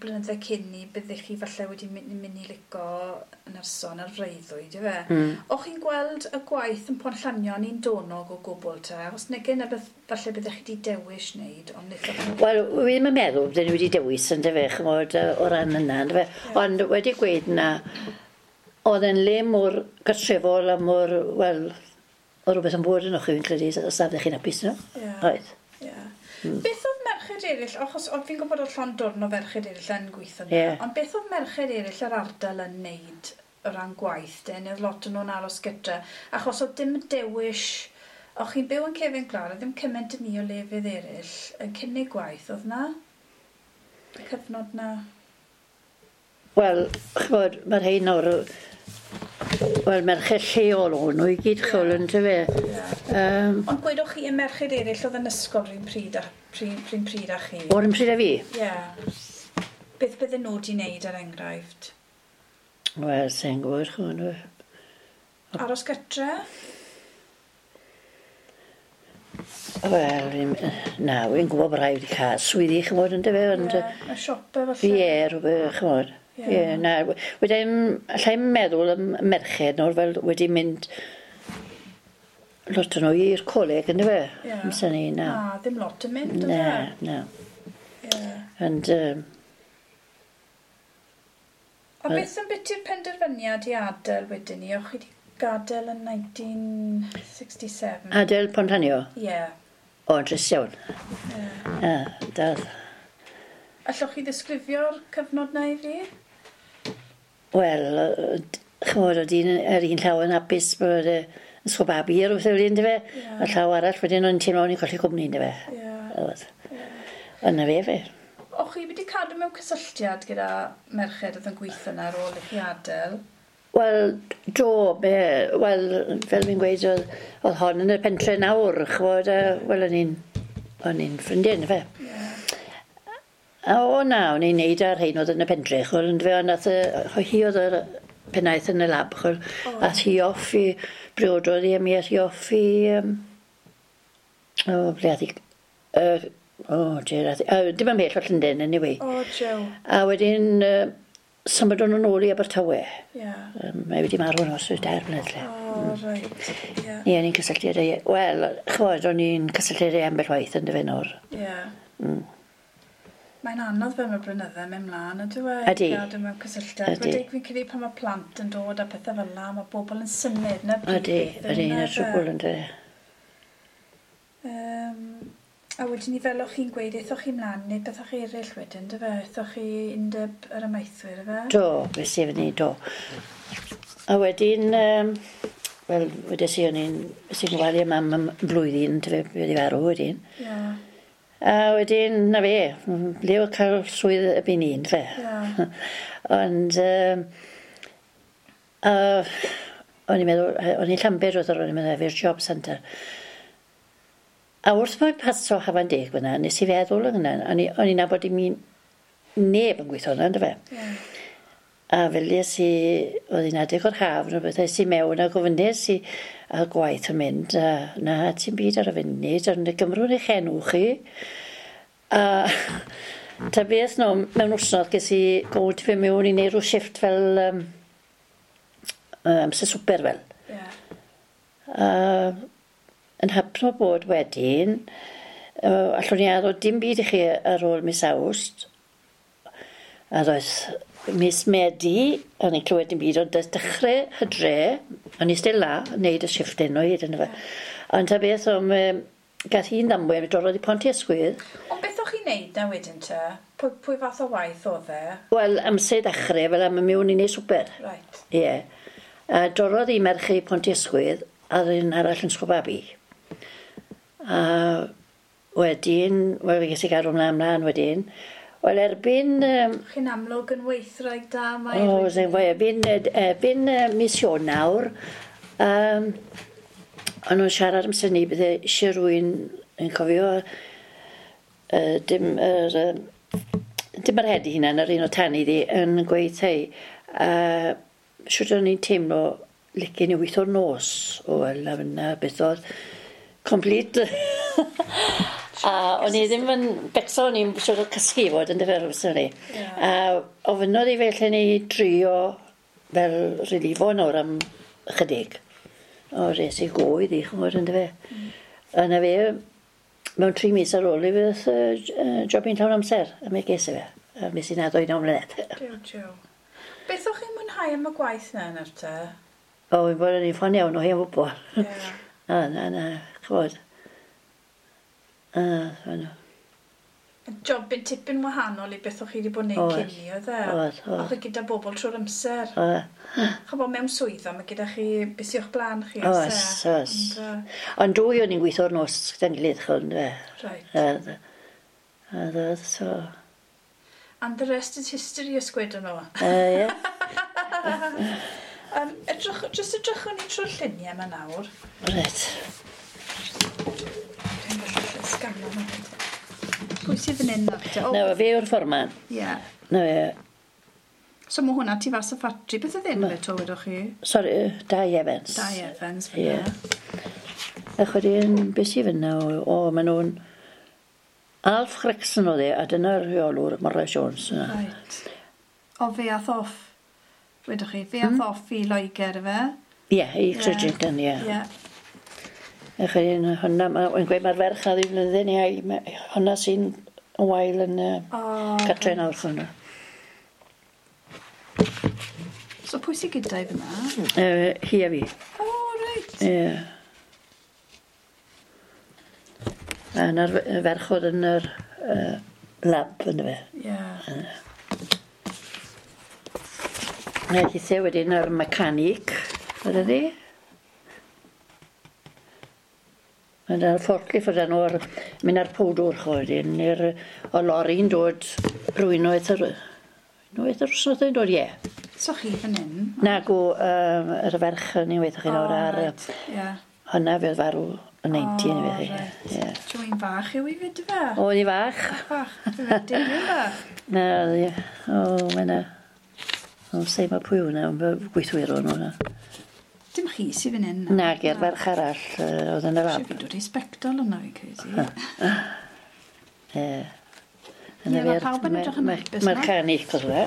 A: blynydde cyn ni, byddech chi falle wedi mynd i lico nyrsio ar freuddwyd, ife? O'ch chi'n gweld y gwaith yn Pont Llanio'n un donog o gwbl te? Achos nag yna beth falle byddech chi wedi dewis wneud, ond wnaethoch chi...
B: Wel, wi ddim yn meddwl bydden ni wedi dewis, yndyfe, ch'mod, o ran yna, yndyfe. Ond wedi gweud na, oedd e'n le mor gartrefol a mor, wel, o rhywbeth yn bod yno chi, fi'n credu, os na fyddech chi'n hapus, no?
A: Ie.
B: Oedd.
A: Ie. Beth oedd merched eraill, achos oedd fi'n gwybod oedd llond dwrn o ferched eraill yn gweithio yna, ond beth oedd merched eraill yr ardal yn neud o ran gwaith de, neu oedd lot o'n nhw'n aros gyda, achos oedd dim dewis, o'ch chi'n byw yn cefn gwlad, oedd ddim cymaint yn ni o lefydd eraill yn cynnig gwaith, oedd na? Y cyfnod na?
B: Wel, ch'mod, mae'r rhein nawr, Wel, merched lleol o'n nhw i gyd, chwl, yn fe.
A: Ond gwedwch chi y merched eraill oedd yn ysgol rhywun pryd a, pryd, pryd â chi?
B: O'r un pryd â fi?
A: Ie. Yeah. Beth bydden nhw wedi wneud er enghraifft?
B: Wel, sy'n gwybod, chwn.
A: Aros gytre?
B: Wel, na, wy'n gwybod bod rhai wedi cael swyddi, chymod, yn dyfe,
A: ond... Ie, y siope falle.
B: Ie, rhywbeth, chymod. Ie, na, wedyn, allai'n meddwl am merched nawr fel wedi mynd lot o'n nhw i'r coleg, yn dyfe?
A: Ie.
B: Amser ni,
A: na. Na, ddim lot yn mynd,
B: Na, na.
A: Ie.
B: Ond...
A: A beth yn beth i'r penderfyniad i adael wedyn ni? O'ch chi wedi gadael yn 1967?
B: Adael Pontanio?
A: Ie. Yeah.
B: O, yn drist iawn.
A: Ie.
B: Yeah. Dath.
A: Allwch chi ddisgrifio'r cyfnod na i fi?
B: Wel, chymod, oedd un ar un llaw yn hapus bod yn sgobabi ar wrth yw'n fe.
A: Yeah.
B: A llaw arall wedyn o'n teimlo o'n i'n colli cwmni, yndyfe.
A: Ie.
B: Yeah. Ond na fe fe.
A: O'ch chi wedi cadw mewn cysylltiad gyda merched oedd yn gweithio yna ar ôl i chi adael?
B: Wel, do, be, wel, fel fi'n gweud, oedd hon yn y pentre nawr, chwod, wel, o'n i'n ffrindiau, yndyfe.
A: Yeah.
B: A o na, o'n i'n neud ar rhain oedd yn y pentre, chwod, yndyfe, ond nath, hi oedd yr pennaeth yn y lab, chwod,
A: oh.
B: ath hi off i, briododd hi a mi ath hi off i, o, ble ath hi, o, dear, ath hi, dim yn bell o Llundain, anyway.
A: O, Joe.
B: A wedyn, symudon nhw nôl i Abertawe.
A: Ie.
B: Mae wedi marw yn os 4 mlynedd lle.
A: O, reit. Ie.
B: Ie, o'n i'n cysylltu â Wel, ch'mod, o'n i'n cysylltu â ambell waith yn dyfe nawr.
A: Ie. Mae'n anodd fel mae'r blynydde mynd mlaen, ydyw e?
B: Ydy.
A: Gadw mewn cysylltiad.
B: Ydy.
A: Wedi fi'n credu pan mae plant yn dod a pethau fel 'na, mae bobl yn symud, 'na brif
B: Ydy,
A: beth yw
B: ydy,
A: hwnna,
B: 'na'r trwbwl
A: ife?
B: yn dyfe.
A: A wedyn ni fel o'ch chi'n gweud, aethoch chi mlaen neu beth o'ch chi eraill wedyn, dyfe? Aethoch chi undeb yr amaethwyr, ife?
B: Do, fe i fyny, do. A wedyn, wel, wedes i o'n i'n, es i'n gofalu am mam am blwyddyn, dyfe, wedi farw wedyn.
A: Ie.
B: A wedyn, na fe, ble oedd cael swydd erbyn un, fe.
A: Ie.
B: Ond, o'n i'n meddwl, o'n i'n Llanbed oedd o'n i'n meddwl, efo'r job centre. A wrth bod paso Hafan Deg fyna, nes i feddwl yn hynna, o'n i'n nabod i mi neb yn gweithio yna, yndyfe?
A: Ie.
B: A fel es i, oedd hi'n adeg o'r haf, neu beth, es i mewn a gofynnes i a gwaith yn mynd, a na, ti'n byd ar y funud, ond y Gymrwn eich enw chi. A ta beth no, mewn wsnos ges i gofyn fi mewn i wneud rhyw shifft fel amser swper fel.
A: Ie.
B: A yn hapno bod wedyn, allwn ni addo dim byd i chi ar ôl mis Awst. A ddoedd mis Medi, o'n i'n clywed dim byd, ond doedd dechrau hydre, o'n i still la, yn neud y shifft hyn o hyd yn fe. Ond ta beth, o'n gath hi'n ddamwain, dorrodd i Pont i Ysgwydd.
A: Ond beth o'ch chi'n neud na wedyn te? Pwy fath o waith oedd e?
B: Wel, amser dechrau, fel am mewn i neud swper.
A: Right.
B: Ie. A dorrodd i merch i Pont i Ysgwydd, a un arall yn Sgwbabi. A wedyn, wel, fe ges i gadw ymlaen wedyn. Wel, erbyn...
A: Chi'n amlwg yn weithraig da, mae...
B: O, sy'n fwy, erbyn mis Ionawr, o'n nhw'n siarad amser ni, bydde eisiau rhywun yn cofio dim yr head i hunan, yr un o tan iddi, yn gweud hei, siwt o'n i'n teimlo licen i weithio'r nos. O, wel, na beth oedd complete. A o'n i ddim yn becso, o'n i'n siwr o cysgu fod yn dyfer amser ni.
A: Yeah.
B: A ofynnodd i felly ni drio fel relifo nawr am chydig. O, res i go iddi, ch'mod, yn dyfe. A na fe, mewn 3 mis ar ôl i fydd job i'n llawn amser, a mi ges i fe. A mis i'n addo i 9 mlynedd.
A: Jiw, jiw. Beth o'ch chi'n mwynhau am y gwaith na nawr te?
B: O, fi'n bod yn un ffon iawn o hen bobl.
A: Ie.
B: Na, na, ch'mod. A,
A: Job yn tipyn wahanol i beth o'ch chi wedi bod yn neud
B: Oedd.
A: cyn ni, oedd e?
B: Oedd, oedd.
A: O'ch chi gyda bobl trwy'r amser.
B: Oedd.
A: Ch'bo, mewn swyddfa, mae gyda chi beth sy o'ch blaen chi,
B: Oes,
A: oes e?
B: oes.
A: Ond,
B: Ond dwy o'n i'n gweithio'r nos gyda'n gilydd, ch'od, yndyfe?
A: Right.
B: A so...
A: And the rest is history, ysgwyd nhw.
B: Ie.
A: Edrych, jyst edrychwn ni trwy'r lluniau yma nawr.
B: Reit.
A: Dwi'n gallu sgano nhw. Pwy sydd yn un nawr te? O,
B: Na, fe yw'r fforman.
A: Ie.
B: Na fe,
A: So mae hwnna tu fas y ffatri. Beth oedd enw fe to, wedwch chi?
B: Sori, Dai Evans.
A: Dai Evans,
B: Ie.
A: fyna.
B: A wedyn, beth sydd fyna? O, maen nhw'n... Alf Gregson oedd e, a dyna'r rheolwr, Morris Jones. Yna.
A: Right. O, fe ath off, wedwch chi, fe ath off i Loegr, efe?
B: Ie, i Crediton, ie.
A: Ie.
B: A wedyn, hwnna, mae'n gweud mae'r ferch na ddim flwyddyn iau, hwnna sy'n yn wael yn
A: O,
B: cartre nawr hwnna.
A: So pwy sydd gyda i fyna?
B: Hi a fi.
A: O, reit.
B: Ie. A yna'r ferch oedd yn yr lab yn fe.
A: Ie.
B: A hithe wedyn yr mechanic, oedd ydi? Yna'r forklift oedd enw ar, mynd ar powdwr cho wedyn, i'r o lori'n dod rwy'n unwaith yr wythnos yn dod, ie.
A: So chi fan hyn?
B: Na go, yr ferch yn ei weithio chi nawr ar,
A: reit. Ie.
B: hwnna fe oedd farw yn 90 yn ei
A: O, reit.
B: Ie.
A: Dwi'n fach yw i fyd fe?
B: Oedd hi fach.
A: Fach, dwi'n dim bach.
B: Na, oedd hi. O, mae 'na. O, sei mae pwy hwnna, ond gweithwyr o'n hwnna.
A: Dim chi sydd fan hyn?
B: Na, ge'r ferch arall oedd yn y
A: Siw
B: lab.
A: fi dod i sbectol yna fi'n credu.
B: Ie.
A: Ie, ma' pawb yn edrych yn hapus
B: Mae'r
A: 'na.
B: canic oedd hwnna.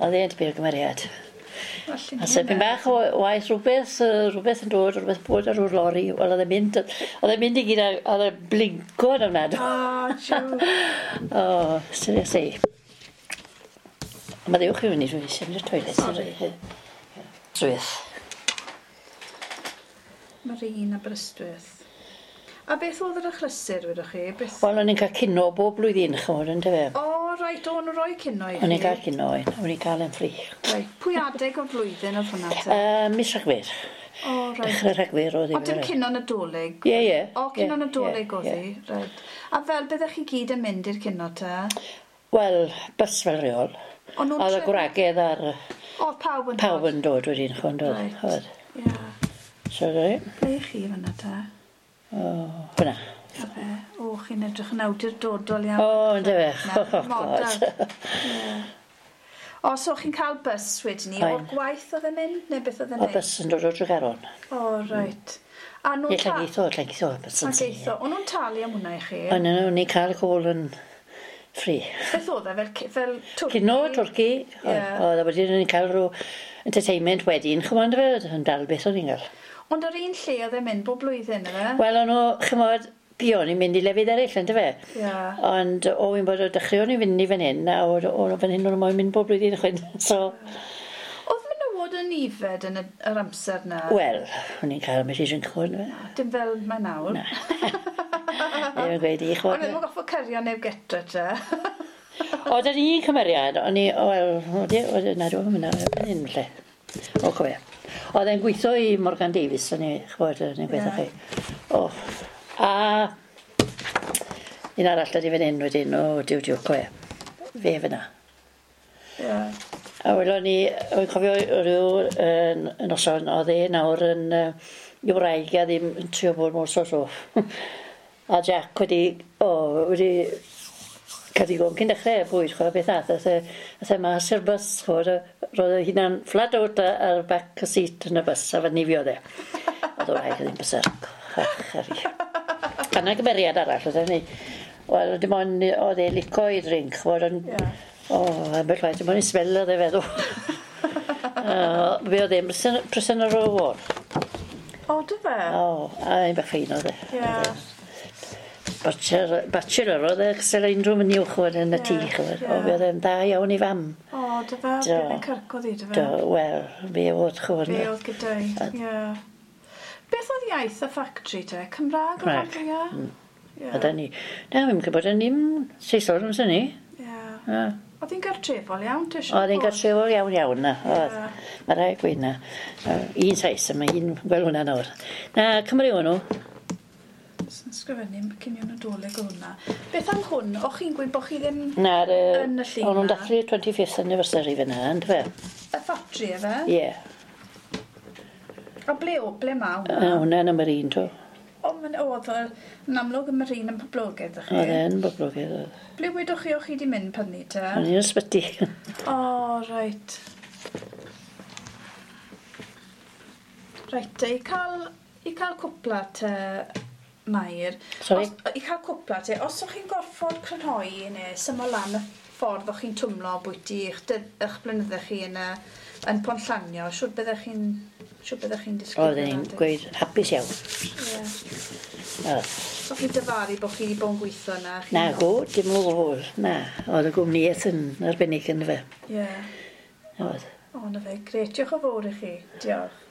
B: Oedd e'n tipyn o gymeriad. A sepyn bach o waith rhywbeth, rhywbeth yn dod, rhywbeth bod ar rhyw lori. Wel, oedd e'n mynd, oedd e'n mynd i gyd, oedd e'n blinko yn ofnadw.
A: O, jiw.
B: O, seriously. Mae ddiwch i fyny, dwi'n eisiau mynd i'r toilet.
A: Sorry.
B: Swyth.
A: Mae'r un Aberystwyth. A beth oedd yr achlysur, wedwch chi? Beth...
B: Wel, o'n i'n cael cino bob blwyddyn, chymod, yn dyfe.
A: O, reit, o'n nhw roi cino i chi?
B: O'n i'n cael cino, o'n i'n cael yn ffri.
A: Reit, pwy adeg o'r flwyddyn oedd hwnna te?
B: Mis Rhagfyr.
A: O, reit.
B: Dechrau Rhagfyr oedd
A: O, dim cino Nadolig?
B: Ie, ie.
A: O, cino
B: ie,
A: Nadolig
B: ie,
A: oedd hi,
B: ie.
A: reit. A fel byddech chi gyd yn mynd i'r cino te?
B: Wel, bys fel rheol.
A: O'n nhw'n
B: Oedd y
A: trefnu-
B: gwragedd ar
A: Oedd pawb yn
B: pawb
A: dod?
B: yn dod wedyn, chymod, oedd.
A: Reit.
B: Oedd.
A: Ie.
B: So, reit.
A: Ble i chi fyna te?
B: O, hwnna.
A: A fe, o, chi'n edrych yn awdurdodol iawn.
B: O, yndyfe.
A: Na,
B: Oh, God.
A: model. Ie. O, so chi'n cael bus wedyn ni, o'r
B: Oen.
A: gwaith oedd e'n mynd, neu beth oedd e'n
B: O
A: neud?
B: bys yn dod o Dregaron.
A: O, reit. A nhw'n
B: Ie, Llangeitho, Llangeitho, bys yn
A: Llangeitho. O'n nhw'n talu am hwnna i chi?
B: O'n nhw'n ni'n cael y cwl yn free.
A: Beth oedd e, fel twrci?
B: Cino, twrci,
A: Ie.
B: oedd a wedyn o'n i'n cael rhyw entertainment wedyn, chymod, fe, yn dal beth o'n i'n cael.
A: Ond yr un lle oedd e'n mynd bob blwyddyn, efe?
B: Wel, o'n nhw, chymod, buon i'n mynd i lefydd eraill, yndyfe?
A: Ie.
B: Ond o fi'n bod o dechreuon i fynd i fan hyn, a o fan hyn o'n nhw moyn mynd bob blwyddyn chwyn. So,
A: Oedd menywod yn ifed yn yr amser na?
B: wel, o'n i'n cael ambell i drink, chymod, yndyfe?
A: Dim fel mae nawr.
B: Na. Ddim yn gweud i,
A: O'n
B: chymod.
A: ddim yn goffo cario neb getre te.
B: O, dyn ni'n cymeriad, o'n i, wel, oedd, na, dwi'n mynd ar fan hyn, lle. O, cofio. Oedd e'n gweithio i Morgan Davies, o'n i, chybod, o'n i'n gweithio
A: Ie.
B: chi. O, a un arall ydi fan hyn wedyn, o, diw, diw, cofio. Fe fyna.
A: Ie.
B: A welon ni, o'n cofio rhyw noson, oedd e nawr yn i wraig a ddim yn trio bod mor so. A Jack wedi, o, wedi cael digon cyn dechrau bwyd, chwa, beth ath, ath e mas i'r bws, chwa, roedd e hunan flat out ar back y seat yn y bws, a fan nifio e. Oedd o wraig ddim bysar. Ach, ar i. A na gymeriad arall, oedd e ni. Wel, dim ond oedd e lico i drink, chwa, ond
A: Ie.
B: O, ambell waith, dim ond i smell oedd e feddwl. Fe oedd e'n prisoner of war.
A: O, dy fe?
B: O, a un bach ffein oedd e.
A: Ie.
B: Bachelor oedd e, cysel unrhyw mynd i'w chwyd yn y tŷ,
A: Ie,
B: chwyd.
A: ie.
B: O, fe oedd e'n dda iawn i fam.
A: O, dy fe?
B: Do.
A: Bydd yn cyrcodd i, dy fe?
B: Do, wel, fe oedd chwyd.
A: Fe oedd gyda i, ie. Beth oedd iaith y ffactri te? Cymraeg o'r
B: Cymraeg.
A: rhan fwya? Ie.
B: A da ni. Na, fi'n gwybod yn ni'n Saeson yn syni.
A: Ie.
B: Ie.
A: Oedd hi'n gartrefol iawn, ti eisiau?
B: Oedd hi'n gartrefol iawn iawn na. Oedd.
A: Ie.
B: Mae rhaid gweud na. Un Sais, a mae un gweld hwnna nawr. Na, Cymru o'n nhw.
A: Sy'n sgrifennu cinio Nadolig o hwnna. Beth am hwn? O'ch chi'n gweud bod chi ddim
B: Na'r...
A: Yn y llun
B: O'n nhw'n
A: 'na.
B: dathlu 25th anniversary fyna, yndyfe?
A: y ffatri dre fe?
B: Ie.
A: A ble, o, ble ma
B: A
A: hwnna?
B: hwnna yn y Marine to.
A: O, ma'n- oedd o, yn amlwg y Marine yn poblogaidd, ych
B: Oedd
A: chi?
B: e'n boblogaidd oedd.
A: Ble wedwch chi o'ch chi wedi mynd pan ni te?
B: O'n i'n ysbyty.
A: O, reit. Reit, te, i cael cwpla te, Mair.
B: Sorry?
A: Os, I cael cwpla te, os o'ch chi'n gorfod crynhoi neu syml lan y ffordd o'ch chi'n twmlo bwyty eich, eich blynydde chi yn, y, yn Ponllanio, siwr byddech chi'n siwr byddech chi'n disgrifio
B: Oedden ni'n
A: hwnna,
B: gweud hapus iawn.
A: Ie.
B: Oedd.
A: So chi'n dyfaru bod chi wedi bod yn gweithio yna? Chi...
B: Na go, dim o gwbl. Na, oedd y gwmnïaeth yn arbennig yn fe.
A: Ie.
B: Oedd.
A: O, na fe, gret. Diolch yn fawr i chi. Diolch.